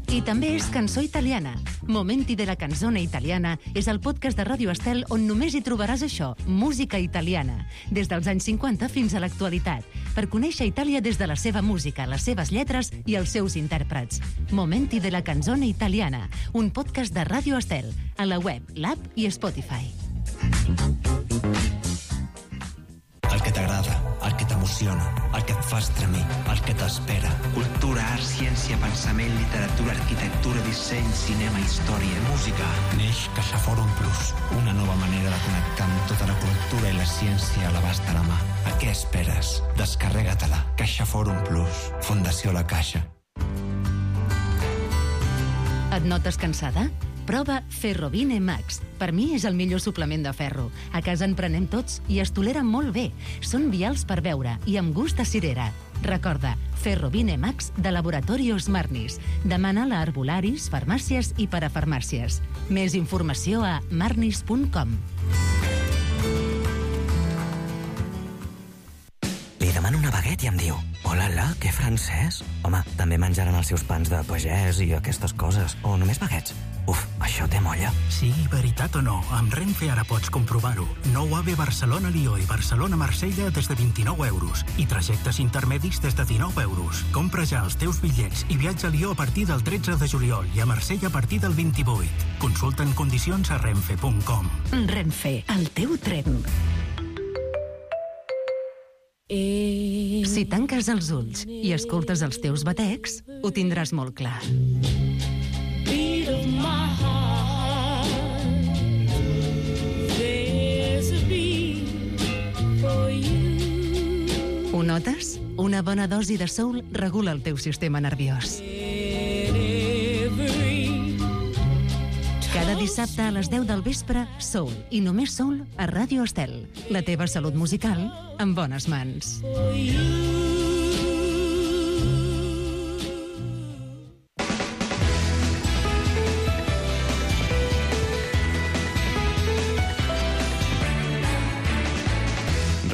I també és cançó italiana. Momenti de la canzone italiana és el podcast de Ràdio Estel on només hi trobaràs això, música italiana, des dels anys cinquanta fins a l'actualitat, per conèixer Itàlia des de la seva música, les seves lletres i els seus intèrprets. Momenti de la canzone italiana, un podcast de Ràdio Estel, a la web, l'app i Spotify. El que t'agrada, el que t'emociona, el que et fa estremir, el que t'espera. Cultura, art, ciència, pensament, literatura, arquitectura, disseny, cinema, història, música. Neix CaixaForum Plus, una nova manera de connectar amb tota la cultura i la ciència a l'abast de la mà. A què esperes? Descarrega-te-la. CaixaForum Plus, Fundació La Caixa. Et notes cansada? Prova Ferrovine Max. Per mi és el millor suplement de ferro. A casa en prenem tots i es tolera molt bé. Són vials per beure i amb gust de cirera. Recorda, Ferrovine Max de Laboratorios Marnis. Demana-la a herbolaris, farmàcies i parafarmàcies. Més informació a marnis punt com. Li demano una baguette i em diu: hola, la, que francès? Home, també menjaran els seus pans de pagès i aquestes coses. O només baguettes? Uf, això té molla. Sigui veritat o no, amb Renfe ara pots comprovar-ho. Nou AVE Barcelona-Lió i Barcelona-Marsella des de vint-i-nou euros i trajectes intermedis des de dinou euros. Compra ja els teus bitllets i viatja a Lió a partir del tretze de juliol i a Marsella a partir del vint-i-vuit. Consulta en condicions a renfe punt com. Renfe, el teu tren. Si tanques els ulls i escoltes els teus batecs, ho tindràs molt clar. Ho notes? Una bona dosi de soul regula el teu sistema nerviós. Cada dissabte a les deu del vespre, soul i només soul a Ràdio Estel. La teva salut musical en bones mans.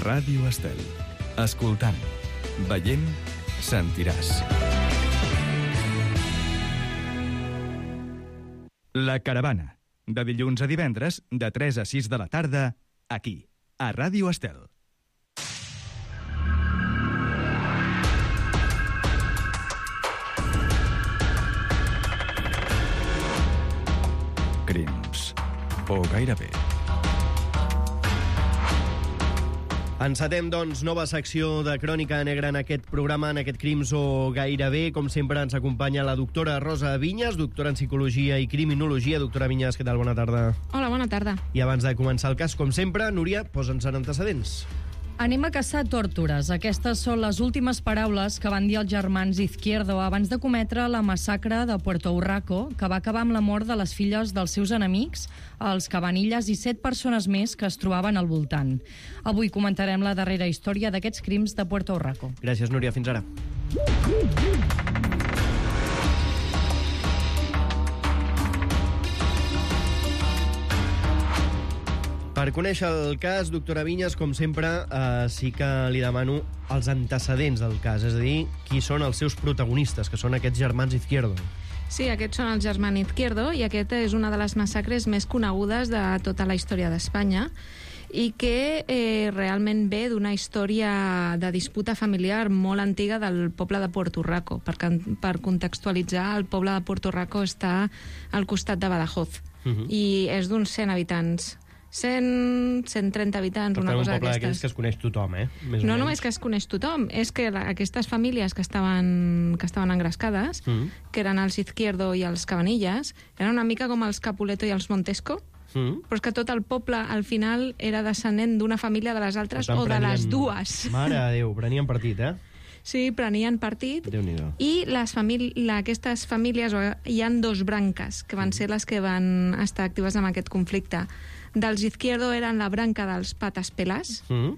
Ràdio Estel. Escoltant, veient, sentiràs. La Caravana, de dilluns a divendres, de tres a sis de la tarda, aquí, a Ràdio Estel. Crims. O gairebé. Encetem, doncs, nova secció de Crònica Negra en aquest programa, en aquest Crims o gairebé. Com sempre, ens acompanya la doctora Rosa Vinyes, doctora en Psicologia i Criminologia. Doctora Vinyes, què tal? Bona tarda. Hola, bona tarda. I abans de començar el cas, com sempre, Núria, posa'ns en antecedents. Anem a caçar tórtores. Aquestes són les últimes paraules que van dir els germans Izquierdo abans de cometre la massacre de Puerto Urraco, que va acabar amb la mort de les filles dels seus enemics, els Cabanillas i set persones més que es trobaven al voltant. Avui comentarem la darrera història d'aquests crims de Puerto Urraco. Gràcies, Núria. Fins ara. Per conèixer el cas, doctora Vinyes, com sempre, eh, sí que li demano els antecedents del cas, és a dir, qui són els seus protagonistes, que són aquests germans Izquierdo. Sí, aquests són els germans Izquierdo i aquest és una de les massacres més conegudes de tota la història d'Espanya i que eh, realment ve d'una història de disputa familiar molt antiga del poble de Puerto Urraco. Per, per contextualitzar, el poble de Puerto Urraco està al costat de Badajoz uh-huh. i és d'uns cent habitants. cent, cent trenta habitants, per una cosa d'aquestes. Un poble d'aquells que es coneix tothom, eh? Més no només que es coneix tothom, és que la, aquestes famílies que estaven, que estaven engrescades, mm. que eren els Izquierdo i els Cabanillas, eren una mica com els Capuleto i els Montesco, mm. però és que tot el poble, al final, era descendent d'una família de les altres o de les dues. Mare de Déu, prenien partit, eh? Sí, prenien partit. Déu-n'hi-do. I les famí la, aquestes famílies, hi han dos branques, que van ser les que van estar actives en aquest conflicte. Dels Izquierdo eren la branca dels patas pelás mm.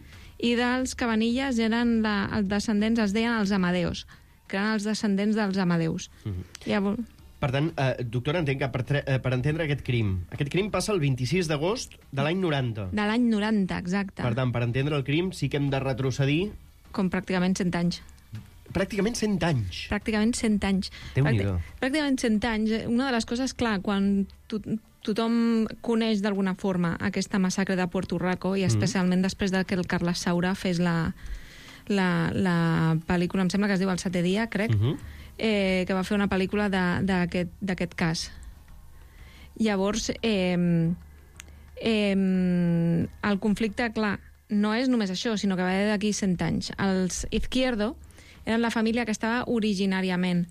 i dels Cabanillas eren la, els descendents, es deien els Amadeus, que eren els descendents dels Amadeus. Mm. Llavors... Per tant, eh, doctora, entenc que per, eh, per entendre aquest crim, aquest crim passa el vint-i-sis d'agost de l'any noranta. De l'any noranta, exacte. Per tant, per entendre el crim sí que hem de retrocedir... Com pràcticament cent anys. Pràcticament cent anys. Pràcticament cent anys. Déu-n'hi-do. Pràcticament cent anys. Una de les coses, clar, quan to tothom coneix d'alguna forma aquesta massacre de Puerto Urraco, i especialment mm. després de que el Carles Saura fes la, la, la pel·lícula, em sembla que es diu El setè dia, crec, mm -hmm. eh, que va fer una pel·lícula d'aquest cas. Llavors, eh, eh, el conflicte, clar, no és només això, sinó que va d'aquí cent anys. Els Izquierdo eren la família que estava originàriament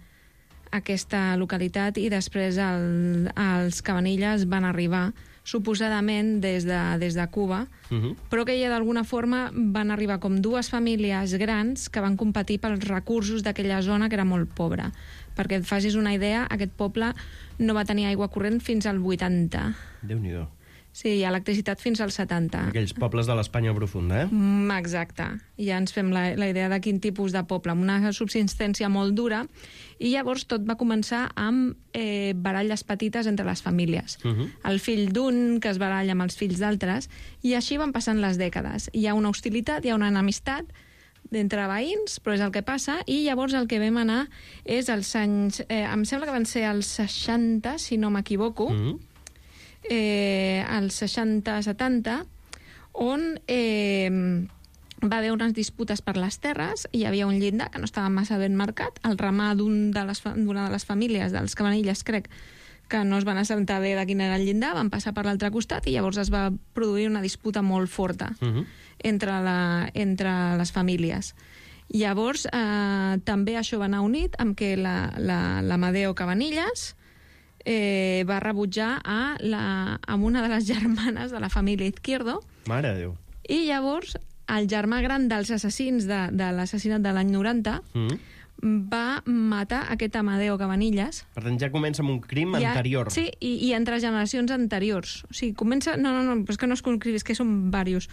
a aquesta localitat i després el, els Cabanillas van arribar suposadament des de, des de Cuba, uh-huh. però que ja d'alguna forma van arribar com dues famílies grans que van competir pels recursos d'aquella zona que era molt pobra. Perquè et facis una idea, aquest poble no va tenir aigua corrent fins al vuitanta. Déu-n'hi-do. Sí, hi ha electricitat fins al setanta. Aquells pobles de l'Espanya profunda, eh? Mm, exacte. Ja ens fem la, la idea de quin tipus de poble, amb una subsistència molt dura, i llavors tot va començar amb eh, baralles petites entre les famílies. Uh-huh. El fill d'un que es baralla amb els fills d'altres, i així van passant les dècades. Hi ha una hostilitat, hi ha una enemistat d'entre veïns, però és el que passa, i llavors el que vam anar és els anys... Eh, em sembla que van ser els seixanta, si no m'equivoco, uh-huh. Eh, als seixanta setanta, on eh, va haver unes disputes per les terres, i hi havia un llindar que no estava massa ben marcat, el ramar d'una de, les, de les famílies dels Cabanillas, crec, que no es van assabentar bé de quin era el llindar, van passar per l'altre costat i llavors es va produir una disputa molt forta uh-huh. entre, la, entre les famílies. Llavors, eh, també això va anar unit amb que l'Amadeo Cabanillas Eh, va rebutjar a, la, a una de les germanes de la família Izquierdo. Mare de Déu. I llavors el germà gran dels assassins de, de l'assassinat de l'any noranta mm. va matar aquest Amadeo Cabanillas. Per tant, ja comença amb un crim ja, anterior. Sí, i, i entre generacions anteriors. O sigui, comença... No, no, no, és que no es concret, és que són diversos.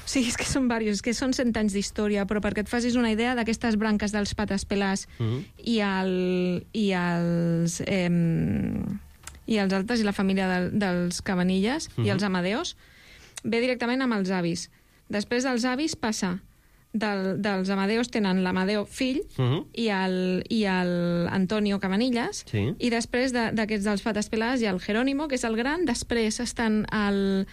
Sí, és que són diversos, és que són cent anys d'història, però perquè et facis una idea d'aquestes branques dels patas pelás mm. i, el, i els... Eh, i els altres, i la família de, dels Cabanillas mm. i els Amadeus, ve directament amb els avis. Després dels avis passa del, dels Amadeos tenen l'Amadeo fill uh -huh. i el, i el Antonio Cabanillas, sí. i després d'aquests de, dels Patas Peladas hi ha el Jerónimo, que és el gran, després estan el,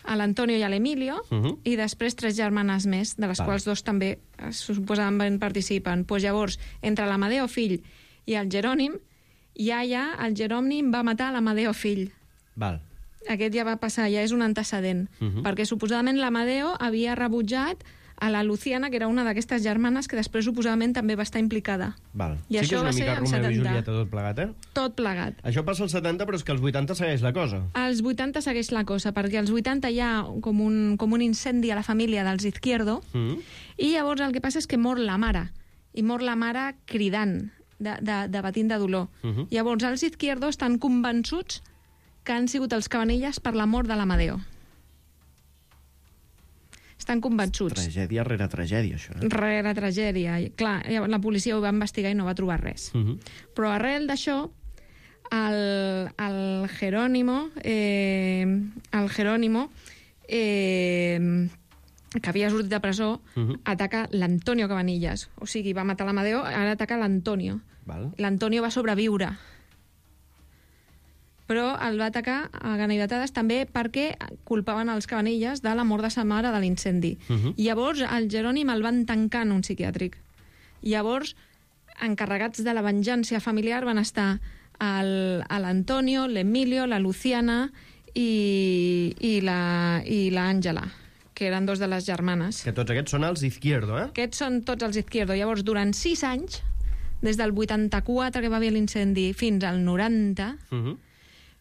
l'Antonio i l'Emilio, uh -huh. i després tres germanes més, de les Val. quals dos també suposadament participen. Pues llavors, entre l'Amadeo fill i el Jerònim, ja ja el Jerònim va matar l'Amadeo fill. Val. Aquest ja va passar, ja és un antecedent, uh -huh. perquè suposadament l'Amadeo havia rebutjat a la Luciana, que era una d'aquestes germanes que després suposadament també va estar implicada. Val. I sí això que és una va mica ser Romeu i setanta. Julieta tot plegat, eh? Tot plegat. Això passa als setanta, però és que als vuitanta segueix la cosa. Als vuitanta segueix la cosa, perquè als vuitanta hi ha com un, com un incendi a la família dels Izquierdo, mm. i llavors el que passa és que mor la mare, i mor la mare cridant, de, de, de batint de dolor. Mm -hmm. Llavors els Izquierdo estan convençuts que han sigut els Cabanillas per la mort de l'Amadeo. Estan convençuts. Tragèdia rere tragèdia, això. Eh? Rere tragèdia. I, clar, la policia ho va investigar i no va trobar res. Uh -huh. Però arrel d'això, el, el Jerónimo, eh, el Jerónimo, eh, que havia sortit de presó, uh -huh. ataca l'Antonio Cabanillas. O sigui, va matar l'Amadeo, ara ataca l'Antonio. L'Antonio va sobreviure. Però el va atacar a ganivetades també perquè culpaven els Cabanillas de la mort de sa mare de l'incendi. Uh -huh. Llavors, el Jerònim el van tancar en un psiquiàtric. Llavors, encarregats de la venjança familiar van estar l'Antonio, l'Emilio, la Luciana i, i l'Àngela, que eren dos de les germanes. Que tots aquests són els Izquierdo, eh? Aquests són tots els Izquierdo. Llavors, durant sis anys, des del vuitanta-quatre, que va haver l'incendi, fins al noranta, uh -huh.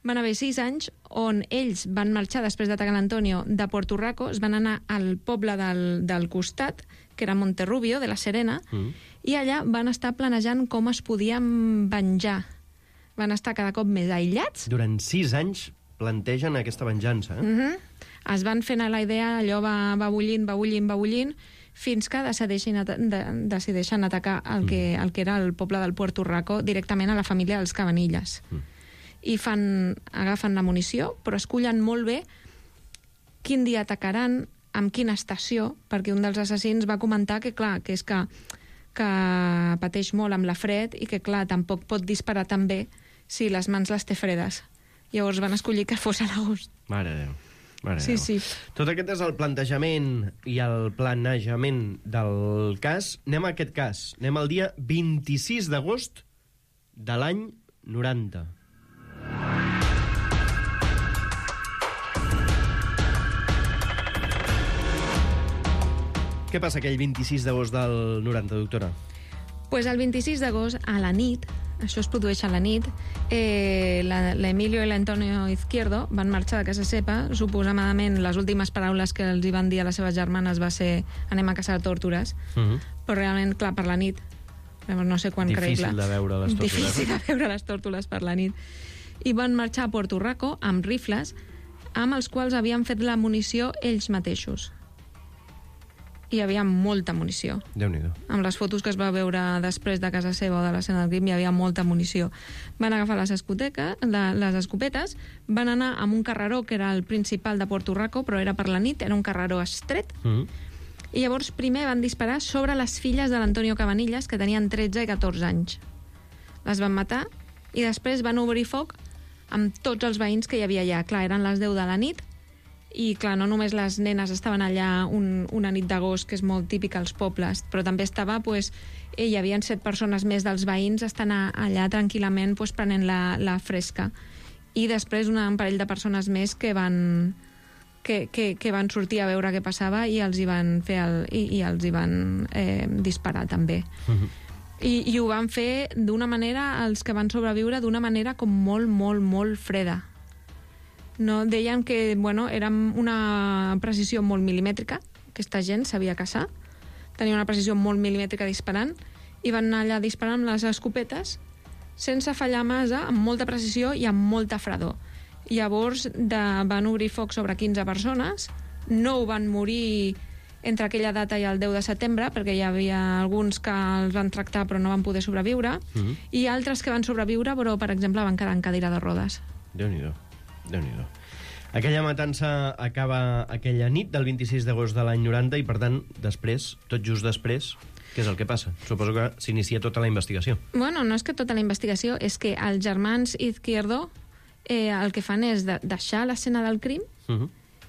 van haver sis anys on ells van marxar després d'atacar l'Antonio de Puerto Rico, es van anar al poble del, del costat, que era Monterrubio, de la Serena, mm. i allà van estar planejant com es podien venjar. Van estar cada cop més aïllats. Durant sis anys plantegen aquesta venjança, eh? Mm-hmm. Es van fent a la idea, allò va, va bullint, va bullint, va bullint, fins que decideixen, at de, decideixen atacar el que, el que era el poble del Puerto Rico directament a la família dels Cabanillas. Mm. I fan, agafen la munició, però escullen molt bé quin dia atacaran, amb quina estació, perquè un dels assassins va comentar que, clar, que és que, que pateix molt amb la fred i que, clar, tampoc pot disparar tan bé si les mans les té fredes. Llavors van escollir que fos a l'agost. Mare de Déu. Mare sí, Déu. sí. Tot aquest és el plantejament i el planejament del cas. Anem a aquest cas. Anem al dia vint-i-sis d'agost de l'any noranta. Què passa aquell vint-i-sis d'agost del noranta, doctora? Pues el vint-i-sis d'agost, a la nit, això es produeix a la nit, eh, l'Emilio i l'Antonio Izquierdo van marxar de casa seva, suposadament les últimes paraules que els hi van dir a les seves germanes va ser anem a caçar tórtores, uh -huh. però realment, clar, per la nit, no sé quan creïble. Difícil de veure les tórtoles. Difícil de veure les tórtoles per la nit. I van marxar a Puerto Rico amb rifles amb els quals havien fet la munició ells mateixos. Hi havia molta munició. Déu-n'hi-do. Amb les fotos que es va veure després de casa seva o de l'escena del crim hi havia molta munició. Van agafar les, escoteca, la, les escopetes, van anar amb un carreró que era el principal de Puerto Rico, però era per la nit, era un carreró estret, mm. i llavors primer van disparar sobre les filles de l'Antonio Cabanillas, que tenien tretze i catorze anys. Les van matar i després van obrir foc amb tots els veïns que hi havia allà. Clar, eren les deu de la nit, i, clar, no només les nenes estaven allà un, una nit d'agost, que és molt típica als pobles, però també estava, pues, eh, hi havia set persones més dels veïns estan a, allà tranquil·lament pues, prenent la, la fresca. I després un parell de persones més que van, que, que, que van sortir a veure què passava i els hi van, fer el, i, i els hi van eh, disparar també. Uh-huh. I, I ho van fer d'una manera, els que van sobreviure, d'una manera com molt, molt, molt freda. No, deien que, bueno, era una precisió molt milimètrica, aquesta gent sabia caçar, tenia una precisió molt milimètrica disparant, i van anar allà disparant amb les escopetes sense fallar massa, amb molta precisió i amb molta fredor. Llavors de, van obrir foc sobre quinze persones, nou van morir entre aquella data i el deu de setembre, perquè hi havia alguns que els van tractar però no van poder sobreviure, mm-hmm. i altres que van sobreviure però, per exemple, van quedar en cadira de rodes. Déu-n'hi-do. Déu-n'hi-do. Aquella matança acaba aquella nit del vint-i-sis d'agost de l'any noranta i, per tant, després, tot just després, què és el que passa? Suposo que s'inicia tota la investigació. Bueno, no és que tota la investigació, és que els germans Izquierdo eh, el que fan és de deixar l'escena del crim uh -huh.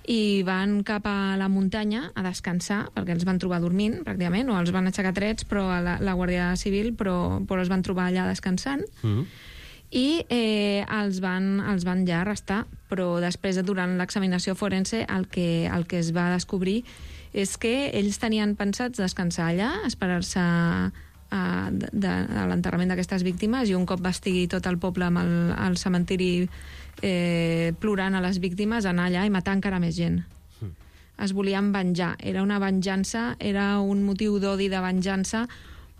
i van cap a la muntanya a descansar, perquè els van trobar dormint, pràcticament, o els van aixecar trets, però a la, la Guàrdia Civil, però, però els van trobar allà descansant. Uh -huh. I eh, els, van, els van ja arrestar, però després, durant l'examinació forense, el que, el que es va descobrir és que ells tenien pensats descansar allà, esperar-se a, a, de, de, a l'enterrament d'aquestes víctimes, i un cop va estigui tot el poble amb el, el cementiri eh, plorant a les víctimes, anar allà i matar encara més gent. Mm. Es volien venjar. Era una venjança, era un motiu d'odi, de venjança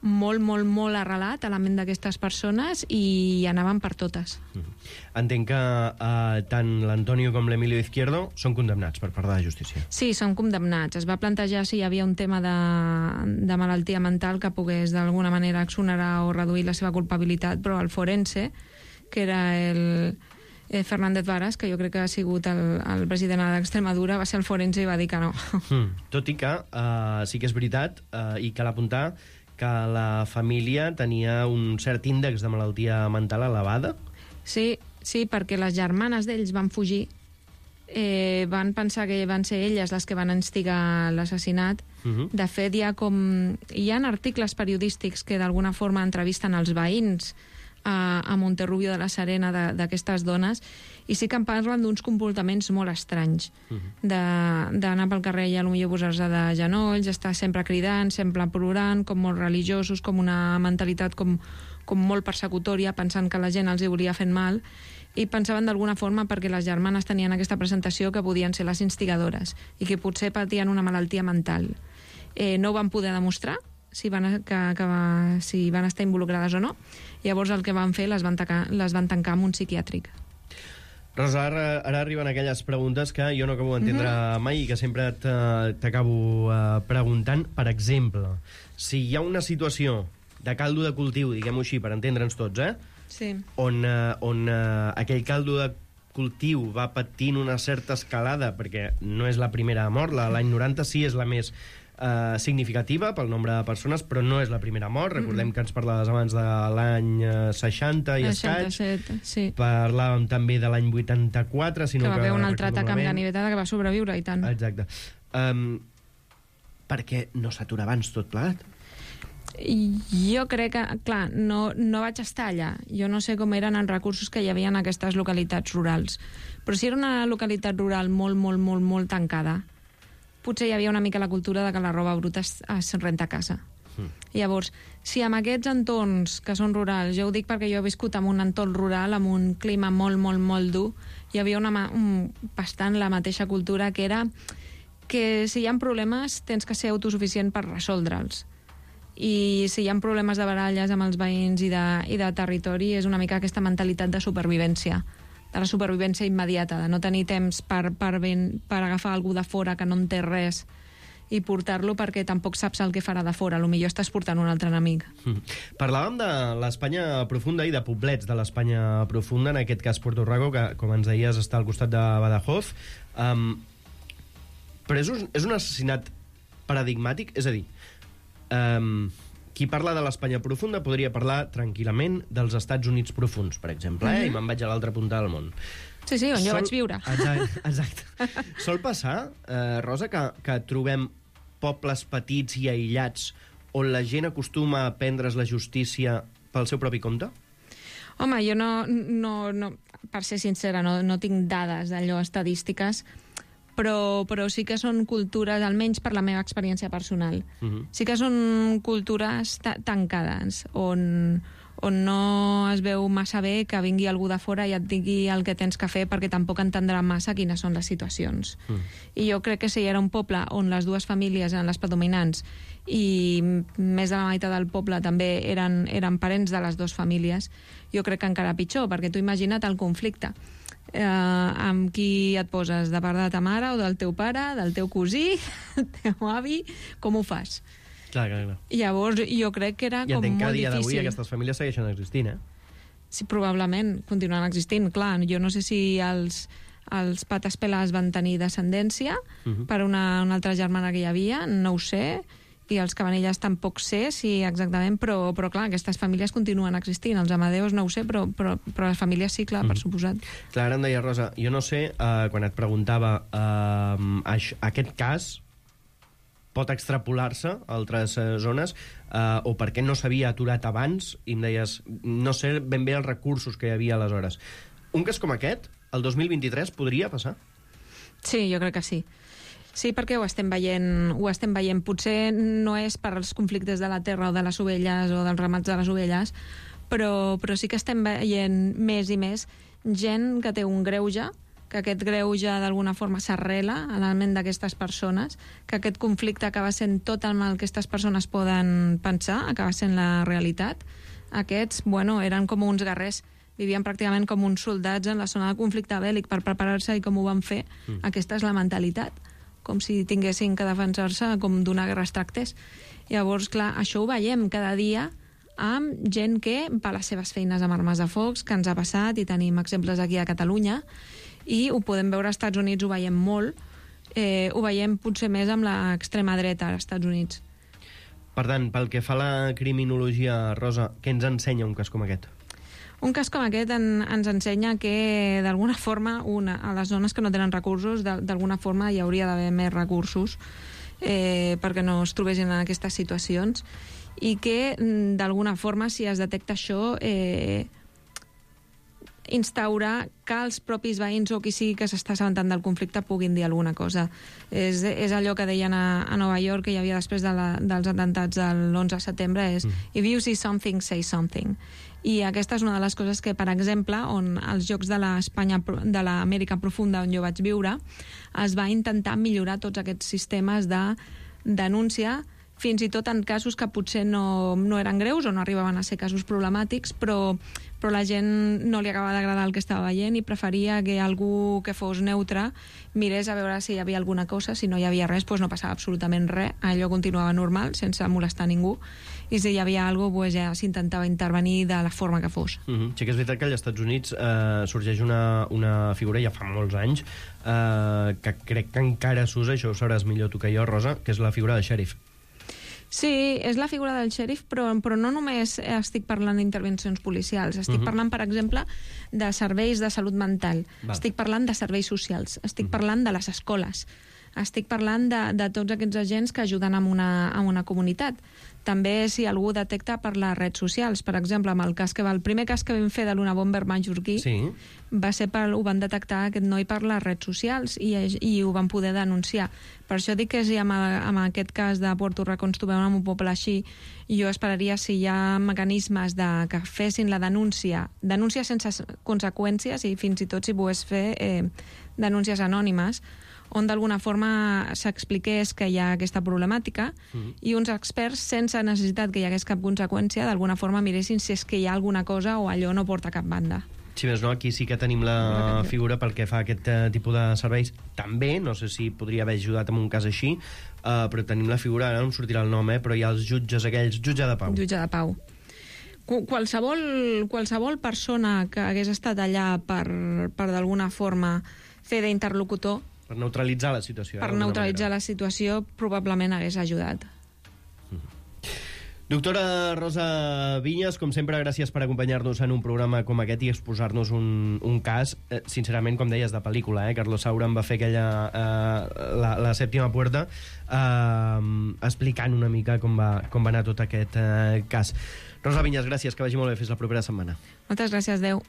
molt, molt, molt arrelat a la ment d'aquestes persones, i anaven per totes. Mm. Entenc que eh, tant l'Antonio com l'Emilio Izquierdo són condemnats per part de la justícia. Sí, són condemnats. Es va plantejar si hi havia un tema de, de malaltia mental que pogués d'alguna manera exonerar o reduir la seva culpabilitat, però el forense, que era el eh, Fernández Varas, que jo crec que ha sigut el, el president d'Extremadura, va ser el forense i va dir que no. Mm. Tot i que eh, sí que és veritat, eh, i cal apuntar que la família tenia un cert índex de malaltia mental elevada. Sí, sí, perquè les germanes d'ells van fugir, eh, van pensar que van ser elles les que van instigar l'assassinat. Uh-huh. De fet, hi ha com... hi ha articles periodístics que d'alguna forma entrevisten els veïns a, a Monterrubio de la Serena d'aquestes dones, i sí que en parlen d'uns comportaments molt estranys, uh-huh. d'anar pel carrer i potser posar-se de genolls, estar sempre cridant, sempre plorant, com molt religiosos, com una mentalitat com, com molt persecutòria, pensant que la gent els hi volia fer mal, i pensaven d'alguna forma, perquè les germanes tenien aquesta presentació, que podien ser les instigadores i que potser patien una malaltia mental. Eh, no ho van poder demostrar, si van, que, que va, si van estar involucrades o no. Llavors el que van fer, les van, tacar, les van tancar en un psiquiàtric. Rosa, ara, ara arriben aquelles preguntes que jo no acabo d'entendre uh-huh. mai i que sempre t'acabo uh, preguntant. Per exemple, si hi ha una situació de caldo de cultiu, diguem-ho així, per entendre'ns tots, eh? Sí. On, uh, on uh, aquell caldo de cultiu va patint una certa escalada, perquè no és la primera mort, l'any noranta sí és la més Uh, significativa pel nombre de persones, però no és la primera mort. Recordem que ens parlaves abans de l'any uh, seixanta i escaig. seixanta-set, sí. Parlàvem també de l'any vuitanta-quatre, sinó que va haver que un altre atac amb ganivetada que va sobreviure, i tant. Exacte. Um, per què no s'atura abans tot plegat? Jo crec que, clar, no, no vaig estar allà. Jo no sé com eren els recursos que hi havia en aquestes localitats rurals. Però si era una localitat rural molt, molt, molt, molt tancada, potser hi havia una mica la cultura de que la roba bruta es, es renta a casa. Mm. Llavors, si amb aquests entorns que són rurals, jo ho dic perquè jo he viscut en un entorn rural, amb un clima molt, molt, molt dur, hi havia una, un, bastant la mateixa cultura, que era que si hi ha problemes tens que ser autosuficient per resoldre'ls. I si hi ha problemes de baralles amb els veïns i de, i de territori, és una mica aquesta mentalitat de supervivència, de la supervivència immediata, de no tenir temps per, per, ben, per agafar algú de fora que no en té res i portar-lo, perquè tampoc saps el que farà de fora. Potser estàs portant un altre enemic. Mm. Parlàvem de l'Espanya profunda i de poblets de l'Espanya profunda, en aquest cas Puerto Rico, que, com ens deies, està al costat de Badajoz. Um, però és un, és un assassinat paradigmàtic? És a dir, um, qui parla de l'Espanya profunda podria parlar tranquil·lament dels Estats Units profunds, per exemple, eh? Mm-hmm. I me'n vaig a l'altra punta del món. Sí, sí, on Sol... jo vaig viure. Exacte. exacte. Sol passar, eh, Rosa, que, que trobem pobles petits i aïllats on la gent acostuma a prendre's la justícia pel seu propi compte? Home, jo no, no, no per ser sincera, no, no tinc dades d'allò estadístiques, però, però sí que són cultures, almenys per la meva experiència personal, uh-huh. sí que són cultures ta tancades, on, on no es veu massa bé que vingui algú de fora i et digui el que tens que fer, perquè tampoc entendrà massa quines són les situacions. Uh. I jo crec que si era un poble on les dues famílies eren les predominants i més de la meitat del poble també eren, eren parents de les dues famílies, jo crec que encara pitjor, perquè tu imagina't el conflicte. Eh, amb qui et poses, de part de ta mare o del teu pare, del teu cosí, del teu avi, com ho fas? Clar, clar, clar. Llavors jo crec que era I com molt difícil. I entenc que a dia d'avui aquestes famílies segueixen existint, eh? Sí, probablement continuen existint, clar. Jo no sé si els, els pates pelats van tenir descendència uh-huh. per una, una altra germana que hi havia, no ho sé, i els Cabanillas tampoc sé si exactament, però, però clar, aquestes famílies continuen existint. Els Amadeus no ho sé, però, però, però les famílies sí, clar, mm. per suposat. Clar, ara em deia, Rosa, jo no sé, uh, quan et preguntava uh, això, aquest cas pot extrapolar-se a altres uh, zones uh, o per què no s'havia aturat abans, i em deies, no sé ben bé els recursos que hi havia aleshores. Un cas com aquest, el dos mil vint-i-tres, podria passar? Sí, jo crec que sí. Sí, perquè ho estem veient, ho estem veient. Potser no és per als conflictes de la terra o de les ovelles o dels ramats de les ovelles, però, però sí que estem veient més i més gent que té un greuge, que aquest greuge d'alguna forma s'arrela a la ment d'aquestes persones, que aquest conflicte acaba sent tot el mal que aquestes persones poden pensar, acaba sent la realitat. Aquests, bueno, eren com uns guerrers, vivien pràcticament com uns soldats en la zona de conflicte bèl·lic per preparar-se, i com ho van fer, mm. aquesta és la mentalitat, com si tinguessin que defensar-se com d'una guerra es tractés. Llavors, clar, això ho veiem cada dia amb gent que va a les seves feines amb armes de focs, que ens ha passat, i tenim exemples aquí a Catalunya, i ho podem veure als Estats Units, ho veiem molt, eh, ho veiem potser més amb l'extrema dreta als Estats Units. Per tant, pel que fa a la criminologia, Rosa, què ens ensenya un cas com aquest? Un cas com aquest en, ens ensenya que, d'alguna forma, una, a les zones que no tenen recursos, d'alguna forma hi hauria d'haver més recursos eh, perquè no es trobessin en aquestes situacions, i que, d'alguna forma, si es detecta això, eh, instaurar que els propis veïns o qui sigui que s'està assabentant del conflicte puguin dir alguna cosa. És, és allò que deien a, a Nova York, que hi havia després de la, dels atemptats de l'onze de setembre, és mm. if you see something, say something. I aquesta és una de les coses que, per exemple, on els jocs de l'Espanya, de l'Amèrica profunda, on jo vaig viure, es va intentar millorar tots aquests sistemes de denúncia, fins i tot en casos que potser no, no eren greus o no arribaven a ser casos problemàtics, però, però la gent no li acaba d'agradar el que estava veient i preferia que algú que fos neutre mirés a veure si hi havia alguna cosa. Si no hi havia res, doncs no passava absolutament res, allò continuava normal, sense molestar ningú, i si hi havia alguna cosa, doncs ja s'intentava intervenir de la forma que fos. Mm-hmm. Sí que és veritat que als Estats Units eh, sorgeix una, una figura, ja fa molts anys, eh, que crec que encara s'usa, això ho sabràs millor tu que jo, Rosa, que és la figura del xèrif. Sí, és la figura del xèrif, però, però no només estic parlant d'intervencions policials, estic uh-huh. parlant, per exemple, de serveis de salut mental, Va. estic parlant de serveis socials, estic uh-huh. parlant de les escoles, estic parlant de, de tots aquests agents que ajuden a una, a una comunitat. També si algú detecta per les redes socials, per exemple, amb el cas que va, el primer cas que vam fer de l'Una Bomber mallorquí, sí. va ser per, ho van detectar aquest noi per les redes socials i, i ho van poder denunciar. Per això dic que si amb, amb aquest cas de Puerto Rico ens trobem en un poble així, jo esperaria si hi ha mecanismes de, que fessin la denúncia, denúncia sense conseqüències, i fins i tot si pogués fer eh, denúncies anònimes, on d'alguna forma s'expliqués que hi ha aquesta problemàtica mm. i uns experts, sense necessitat que hi hagués cap conseqüència, d'alguna forma miressin si és que hi ha alguna cosa o allò no porta cap banda. Si més no, aquí sí que tenim la figura pel que fa a aquest uh, tipus de serveis. També, no sé si podria haver ajudat en un cas així, uh, però tenim la figura, ara no em sortirà el nom, eh, però hi ha els jutges aquells, jutge de pau. Jutge de pau. Qualsevol, qualsevol persona que hagués estat allà per, per d'alguna forma fer d'interlocutor, per neutralitzar la situació. Per neutralitzar manera. la situació, probablement hagués ajudat. Doctora Rosa Vinyes, com sempre, gràcies per acompanyar-nos en un programa com aquest i exposar-nos un, un cas, eh, sincerament, com deies, de pel·lícula. Eh? Carlos Saura en va fer aquella, eh, la, la sèptima puerta, eh, explicant una mica com va, com va anar tot aquest eh, cas. Rosa Vinyes, gràcies, que vagi molt bé. Fins la propera setmana. Moltes gràcies, adeu.